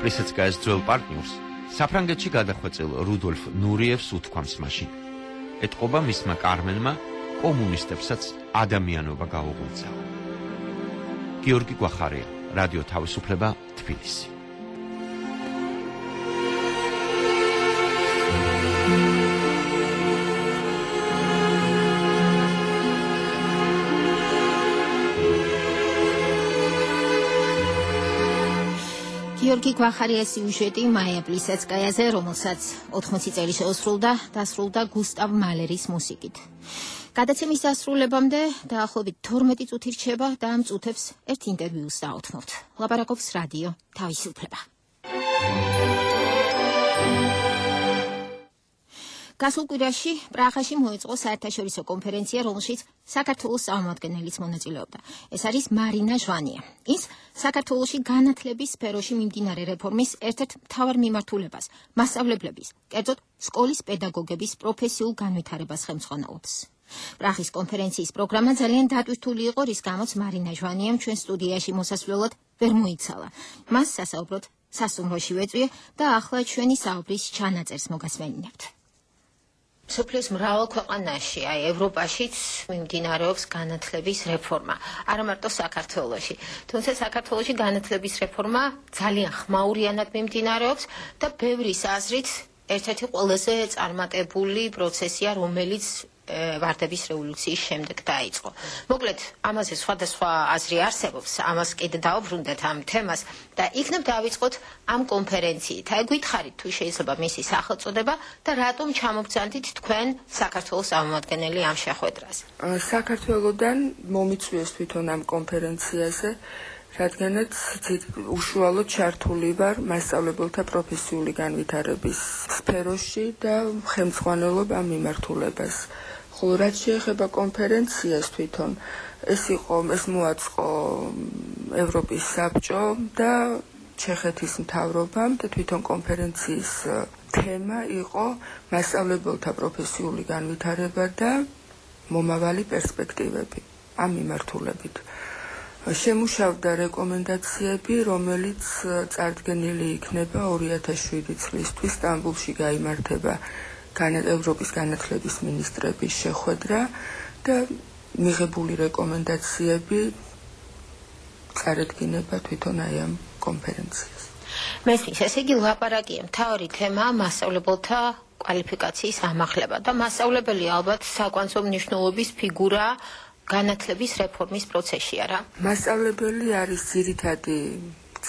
პლისეცკაიას ძველ პარტნიორს საფრანგეთში გადახვეწილ რუდოლფ ნურიევს უთქვამს მაშინ. ეტყობა მისმა კარმენმა კომუნისტებსაც ადამიანობა გაუღვიძა. გიორგი გვახარია, რადიო თავისუფლება, თბილისი. გიორგი გვახარიას სიუჟეტი მაია პლისეცკაიაზე, რომელსაც 80 წელი შეუსრულდა, დასრულდა გუსტავ მალერის მუსიკით. გადაცემის დასრულებამდე დაახლოებით 12 წუთი რჩება და ამ წუთებს ერთ ინტერვიუს დაუთმობთ. ლაპარაკობს რადიო თავისუფლება. გასულ კვირაში პრაღაში მოეწყო საერთაშორისო კონფერენცია, რომელშიც საქართველოს წარმომადგენელიც მონაწილეობდა. ეს არის მარინა ჟვანია. ის საქართველოში განათლების სფეროში მიმდინარე რეფორმის ერთ-ერთ მთავარ მიმართულებას, მასწავლებლების, კერძოდ სკოლის პედაგოგების პროფესიულ განვითარებას ხელმძღვანელობს. პრაღის კონფერენციის პროგრამა ძალიან დატვირთული იყო, რის გამოც მარინა ჟვანიამ ჩვენ სტუდიაში მოსასვლელად ვერ მოიცალა. მას სასაუბროდ სასტუმროში ვეწვიე და ახლა ჩვენი საუბრის ჩანაწერს მოგასმენინებთ. სოფლის მრავალ ქვეყანაში, აი ევროპაშიც მიმდინარეობს განათლების რეფორმა, არა მარტო საქართველოში. თუმცა საქართველოში განათლების რეფორმა ძალიან ხმაურიანად მიმდინარეობს და ბევრის აზრით ერთ-ერთი ყველაზე წარმატებული პროცესია, რომელიც ვარდების რევოლუციის შემდეგ დაიწყო. მოკლედ, ამაზე სხვადასხვა აზრი არსებობს, ამას კიდე დავბრუნდეთ ამ თემას და იქნებ დავიწყოთ ამ კონფერენციით. აი გითხარით თუ შეიძლება მისი სახელწოდება და რატომ ჩამოგცანდით თქვენ საქართველოს წარმომადგენელი ამ შეხვედრაზე. საქართველოსდან მომიწვიეს თვითონ ამ კონფერენციაზე, რადგანაც უშუალოდ ჩართული ვარ მასწავლებელთა პროფესიული განვითარების სფეროში და ხელმძღვანელობ ამ მიმართულებას. ხოლო რაც შეეხება კონფერენციას თვითონ, ეს მოაწყო ევროპის საბჭო და ჩეხეთის მთავრობამ და თვითონ კონფერენციის თემა იყო მასწავლებელთა პროფესიული განვითარება და მომავალი პერსპექტივები ამ მიმართულებით. შემუშავდა რეკომენდაციები, რომელიც წარდგენილი იქნება 2007 წლისთვის სტამბულში გაიმართება ევროპის განათლების მინისტრების შეხვედრა და მიღებული რეკომენდაციები წარადგინება თვითონ აი ამ კონფერენციას. მესმის, ესე იგი ლაპარაკია მთავარი თემა მასწავლებელთა კვალიფიკაციის ამაღლება და მასწავლებელი ალბათ საკვანძო მნიშვნელობის ფიგურა განათლების რეფორმის პროცესში არა? მასწავლებელი არის ძირითადი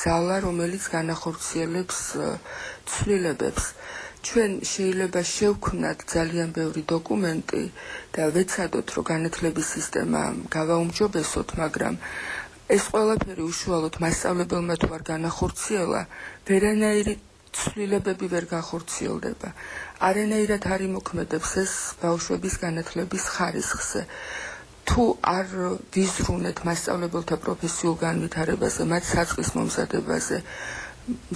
ძალა, რომელიც განახორციელებს ცვლილებებს. ჩვენ შეიძლება შევქმნათ ძალიან ბევრი დოკუმენტი და ვეცადოთ, რომ განათლების სისტემა გავაუმჯობესოთ, მაგრამ ეს ყველაფერი უშუალოდ მასწავლებელმა თუ არ განახორციელა, ვერანაირი ცვლილებები ვერ განხორციელდება. არანაირად არ იმოქმედებს ეს ბავშვების განათლების ხარისხზე. თუ არ ვიზრუნეთ მასწავლებელთა პროფესიულ განვითარებაზე, მათ საწყის მომზადებაზე,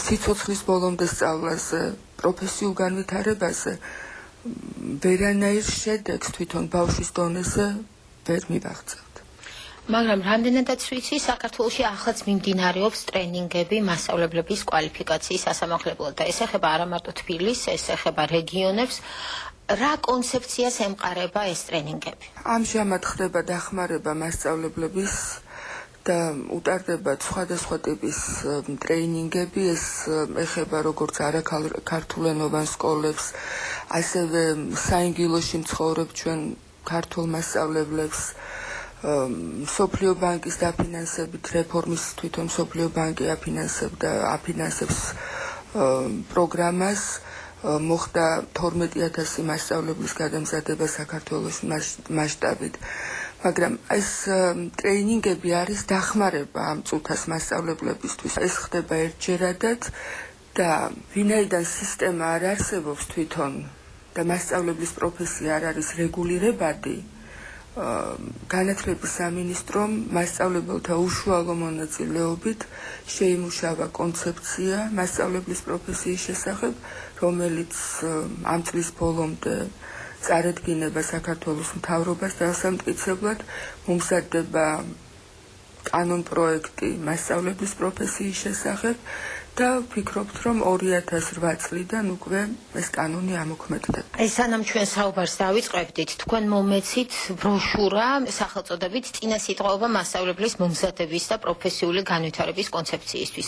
სიცოცხლის ბოლომდე სწავლაზე, პროფესიულ განვითარებაზე, ვერანაირ შედეგს თვითონ ბავშვის დონეზე ვერ მივაღწევთ. მაგრამ რამდენადაც ვიცი, საქართველოში ახლაც მიმდინარეობს ტრენინგები მასწავლებლების კვალიფიკაციის ასამაღლებლად და ეს ეხება არა მარტო თბილისს, ეს ეხება რეგიონებს. რა კონცეფციას ემყარება ეს ტრენინგები? ამჟამად ხდება დახმარება მასწავლებლების და utardeba სხვადასხვა ტიპის ტრეინინგები, ეს ეხება როგორც არაქართულენოვან სკოლებს, ასევე საინგილოში მცხოვრებ ჩვენ ქართულ მასწავლებლებს, სოფლიო ბანკის დაფინანსებით რეფორმის თვითონ სოფლიო ბანკი აფინანსებს პროგრამას, მოხდა 12,000 მასწავლებლის გადამზადება საქართველოს მასშტაბით. მაგრამ ეს ტრეინინგები არის დახმარება ამ წუთას მასწავლებლებისთვის. ეს ხდება ერთჯერადად და ვინაიდან სისტემა არ არსებობს თვითონ და მასწავლებლის პროფესია არ არის რეგულირებადი, განათლების სამინისტრომ მასწავლებელთა უშუალო მონაწილეობით შეიმუშავა კონცეფცია მასწავლებლის პროფესიის შესახებ, რომელიც ამ წლის ბოლომდე წარადგინება საქართველოს მთავრობას და დასამტკიცებლად მომზადდება კანონ-პროექტი მასწავლებლის პროფესიის შესახებ და ვფიქრობთ, რომ 2008 წლიდან უკვე ეს კანონი ამოქმედდა. ეს სანამ ჩვენ საუბარს დავიწყებდით, თქვენ მომეცით ბროშურა სახელწოდებით წინა სიტყვაობა მასწავლებლის მომზადების და პროფესიული განვითარების კონცეფციისთვის.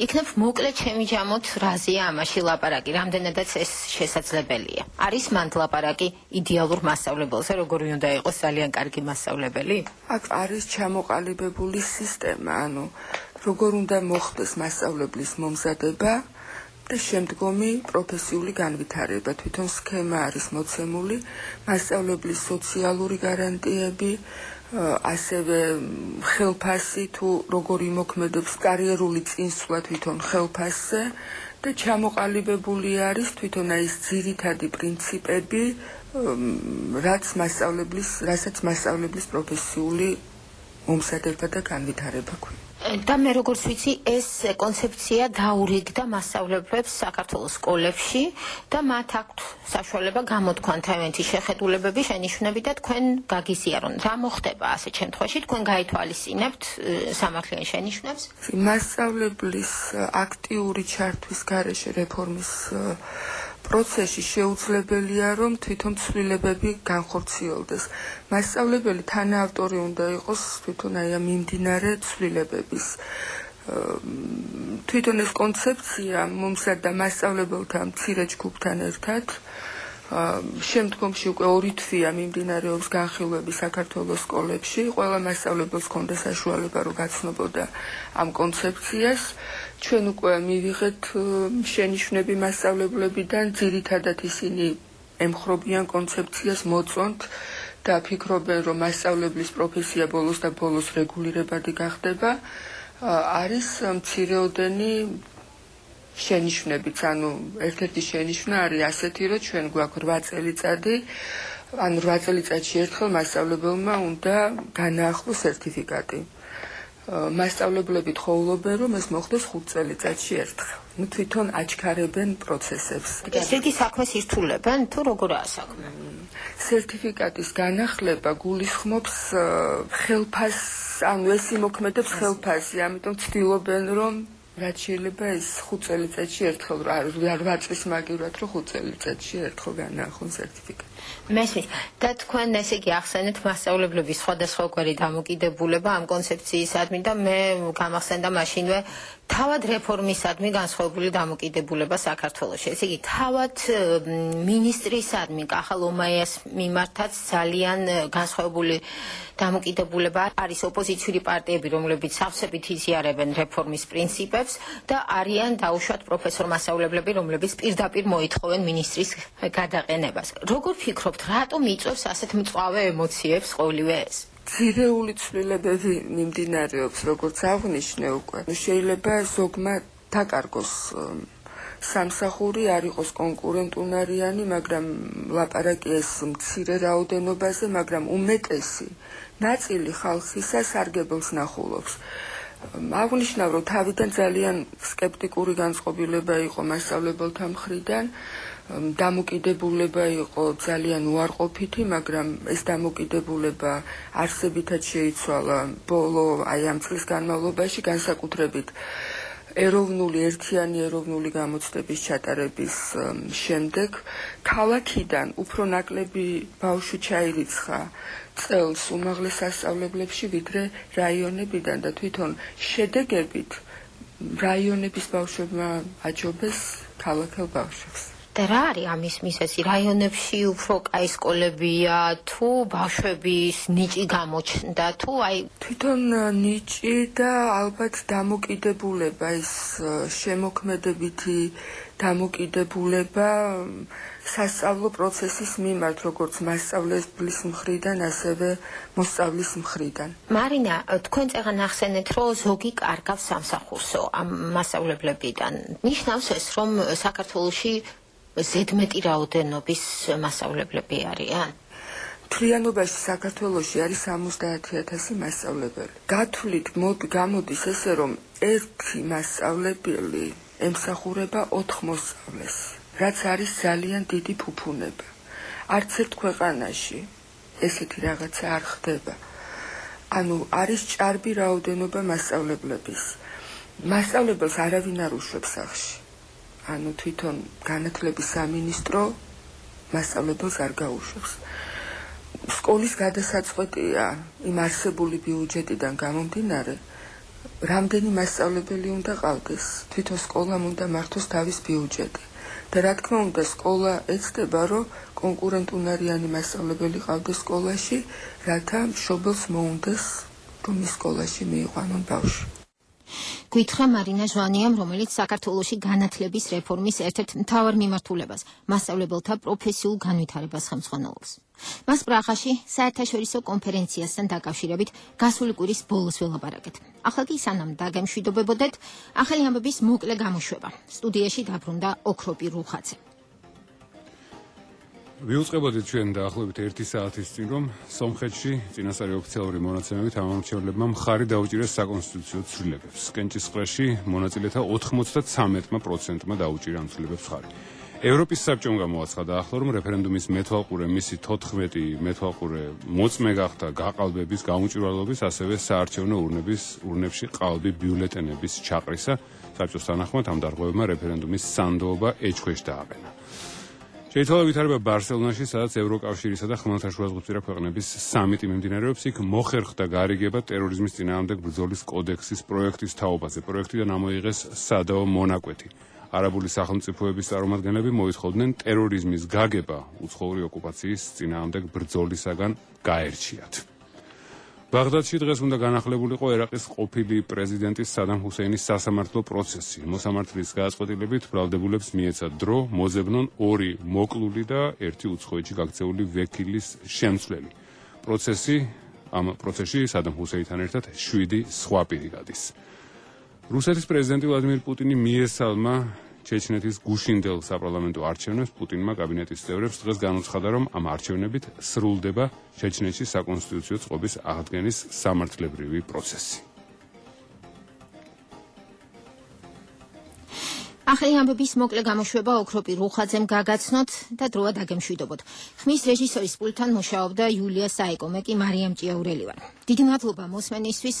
იქნებ მოკლედ შემიჯამოთ რაზეა ამაში ლაპარაკი, რამდენადაც ეს შესაძლებელია. არის მანდ ლაპარაკი იდეალურ მასწავლებელზე, როგორი უნდა იყოს ძალიან კარგი მასწავლებელი? აქ არის ჩამოყალიბებული სისტემა, ანუ როგორ უნდა მოხდეს მასწავლებლის მომზადება და შემდგომი პროფესიული განვითარება. თვითონ სქემა არის მოცემული, მასწავლებლის სოციალური გარანტიები, ასევე ხელფასი თუ როგორ იმოქმედებს კარიერული წინსვლა თვითონ ხელფასზე და ჩამოყალიბებული არის თვითონ ეს ძირითადი პრინციპები, რასაც მასწავლებლის პროფესიული მომზადება და განვითარება ქვია. და მე როგორც ვიცი, ეს კონცეფცია დაურიგდა მასწავლებლებს საქართველოს სკოლებში და მათ აქვთ საშუალება გამოთქვან თავიანთი შეხედულებები, შენიშვნები და თქვენ გაგიზიარონ. რა მოხდება ასეთ შემთხვევაში? თქვენ გაითვალისწინებთ სამართლიან შენიშვნებს? მასწავლებლის აქტიური ჩართვის გარეშე რეფორმის პროცესში შეუძლებელია, რომ თვითონ ცვლილებები განხორციელდეს. მასწავლებელი თანაავტორი უნდა იყოს თვითონ აი ამ მიმდინარე ცვლილებების. თვითონ ეს კონცეფცია მომზადდა მასწავლებელთა მცირე ჯგუფთან ერთად, შემდგომში უკვე 2 თვეა მიმდინარეობს განხილვები საქართველოს სკოლებში. ყველა მასწავლებელს ჰქონდა საშუალება რომ გაცნობოდა ამ კონცეფციას. ჩვენ უკვე მივიღეთ შენიშვნები მასწავლებლებიდან, ძირითადად ისინი ემხრობიან კონცეფციას, მოწონთ და ფიქრობენ, რომ მასწავლებლის პროფესია ბოლოს და ბოლოს რეგულირებადი გახდება. არის მცირეოდენი შენიშვნებიც, ანუ ერთ-ერთი შენიშვნა არის ასეთი, რომ ჩვენ გვაქვს 8 წელიწადი, ანუ 8 წელიწადში ერთხელ მასწავლებელმა უნდა განაახლოს სერტიფიკატი. მასწავლებლები თხოვობენ, რომ ეს მოხდეს 5 წელიწადში ერთხელ. ნუ თვითონ აჩქარებენ პროცესებს. ესეთი საქმე სირთულებენ თუ როგორაა საქმე? სერტიფიკატის განახლება გულისხმობს ხელფას, ანუ ეს იმოქმედებს ხელფასი, ამიტომ ცდილობენ, რომ რაც შეიძლება ეს 5 წელიწადში ერთხელ 8 წლის მაგივრად, რომ 5 წელიწადში ერთხელ განაახლონ სერტიფიკატი. მესმის და თქვენ ესე იგი ახსენეთ მასწავლებლების სხვადასხვაგვარი დამოკიდებულება ამ კონცეფციისადმი და მე გამახსენდა მაშინვე თავად რეფორმისადმი განსხვავებული დამოკიდებულება საქართველოში. ესე იგი თავად მინისტრისადმი კახა ლომაიას მიმართაც ძალიან განსხვავებული დამოკიდებულება არის ოპოზიციური პარტიები, რომლებიც სავსებით იზიარებენ რეფორმის პრინციპებს და არიან დაუშვათ პროფესორ მასწავლებლები, რომლებიც პირდაპირ მოითხოვენ მინისტრის გადაყენებას. როგორ ფიქრობთ, რატომ იწვევს ასეთ მწვავე ემოციებს ყოველივე ეს? ძირეული ცვლილებები მიმდინარეობს, როგორც აღვნიშნე უკვე. შეიძლება ზოგმა დაკარგოს სამსახური, არ იყოს კონკურენტუნარიანი, მაგრამ ლაპარაკი ეს მცირე რაოდენობაზე, მაგრამ უმეტესი ნაწილი ხალხისა სარგებელს ნახულობს. აღვნიშნავ, რომ თავიდან ძალიან სკეპტიკური განწყობილება იყო მასწავლებელთა მხრიდან, დამოკიდებულება იყო ძალიან უარყოფითი, მაგრამ ეს დამოკიდებულება არსებითად შეიცვალა ბოლო ამ წლის განმავლობაში, განსაკუთრებით ერთიანი ეროვნული გამოცდების ჩატარების შემდეგ. ქალაქიდან უფრო ნაკლები ბავშვი ჩაირიცხა წელს უმაღლეს სასწავლებლებში, ვიდრე რაიონებიდან და თვითონ შედეგებით რაიონების ბავშვებმა აჯობეს ქალაქელ ბავშვებს. და რა არის ამის მიზეზი? რაიონებში უფრო კაი სკოლებია, თუ ბავშვების ნიჭი გამოჩნდა, თუ აი თვითონ ნიჭი და ალბათ დამოკიდებულება, ეს შემოქმედებითი დამოკიდებულება სასწავლო პროცესის მიმართ, როგორც მასწავლებლის მხრიდან, ასევე მოსწავლის მხრიდან. მარინა, თქვენ წეგან ახსენეთ, რომ ზოგი კარგავს სამსახურსო ამ მასწავლებლებიდან. ნიშნავს ეს, რომ საქართველოში ზედმეტი რაოდენობის მასწავლებლები არიან? მთლიანობაში საქართველოში არის 70,000 მასწავლებელი. გათვლით გამოდის ესე, რომ ერთი მასწავლებელი ემსახურება 4 მოსწავლეს, რაც არის ძალიან დიდი ფუფუნება. არც ერთ ქვეყანაში ესეთი რაღაცა არ ხდება. ანუ არის ჭარბი რაოდენობა მასწავლებლების. მასწავლებელს არავინ არ უშვებს სახლში. ანუ თვითონ განათლების სამინისტრო მასწავლებელს არ გაუშვებს. სკოლის გადასაწყვეტია იმ არსებული ბიუჯეტიდან გამომდინარე, რამდენი მასწავლებელი უნდა ყავდეს, თვითონ სკოლამ უნდა მართოს თავის ბიუჯეტი. და რა თქმა უნდა, სკოლა ეცდება, რომ კონკურენტუნარიანი მასწავლებელი ყავდეს სკოლაში, რათა მშობელს მოუნდეს, რომ ის სკოლაში მიიყვანონ ბავშვი. გითხრა მარინა ჟვანიამ, რომელიც საქართველოში განათლების რეფორმის ერთ-ერთ მთავარ მიმართულებას, მასწავლებელთა პროფესიულ განვითარებას ხელმძღვანელობს. მას პრაღაში საერთაშორისო კონფერენციასთან დაკავშირებით გასული კვირის ბოლოს ველაპარაკეთ. ახლა კი სანამ დაგემშვიდობებოდეთ, ახალი ამბების მოკლე გამოშვება. სტუდიაში დაბრუნდა ოქროპი რუხაცე. ვიუწყებოდით ჩვენ დაახლოებით 1 საათის წინ, რომ სომხეთში წინასწარი ოფიციალური მონაცემებით ამ ამორჩევლებმა მხარი დაუჭირეს საკონსტიტუციო ცვლილებებს. კენჭისყრაში მონაწილეთა 93%-მა დაუჭირა ამ ცვლილებებს მხარი. ევროპის საბჭომ გამოაცხადა ახლა, რომ რეფერენდუმის მეთვალყურე მისი 14 მეთვალყურე მოწმე გახდა გაყალბების, გაუმჭვირვალობის, ასევე საარჩევნო ურნებში ყალბი ბიულეტენების ჩაყრისა. საბჭოს თანახმად ამ დარღვევებმა რეფერენდუმის სანდოობა ეჭქვეშ დააყენა. შეიცვალა ვითარება ბარსელონაში, სადაც ევროკავშირისა და ხმელთაშუაზღვისპირა ქვეყნების სამიტი მიმდინარეობს. იქ მოხერხდა გარიგება ტერორიზმის წინააღმდეგ ბრძოლის კოდექსის პროექტის თაობაზე. პროექტიდან ამოიღეს სადაო მონაკვეთი. არაბული სახელმწიფოების წარმომადგენლები მოითხოვდნენ ტერორიზმის გაგება უცხოური ოკუპაციის წინააღმდეგ ბრძოლისაგან გაერჩიათ. ბაღდადში დღეს უნდა განახლებულიყო ერაყის ყოფილი პრეზიდენტის სადამ ჰუსეინის სასამართლო პროცესი. მოსამართლის გადაწყვეტილებით ბრალდებულებს მიეცათ დრო მოძებნონ 2 მოკლული და 1 უცხოეთში გაქცეული ვექილის შემცვლელი. ამ პროცესში სადამ ჰუსეინთან ერთად 7 სხვა პირი გადის. რუსეთის პრეზიდენტი ვლადიმერ პუტინი მიესალმა ჩეჩნეთის გუშინდელ საპარლამენტო არჩევნებს. პუტინმა კაბინეტის წევრებს დღეს განუცხადა, რომ ამ არჩევნებით სრულდება ჩეჩნეთში საკონსტიტუციო წყობის აღდგენის სამართლებრივი პროცესი. ახალი ამბების მოკლე გამოშვება ოქროპი რუხაძემ გაგაცნოთ და დროა დაგემშვიდობოთ. ხმის რეჟისორის პულტთან მუშაობდა იულია საიკო, მე კი მარიამ ჭიაურელი ვარ. დიდი მადლობა მოსმენისთვის.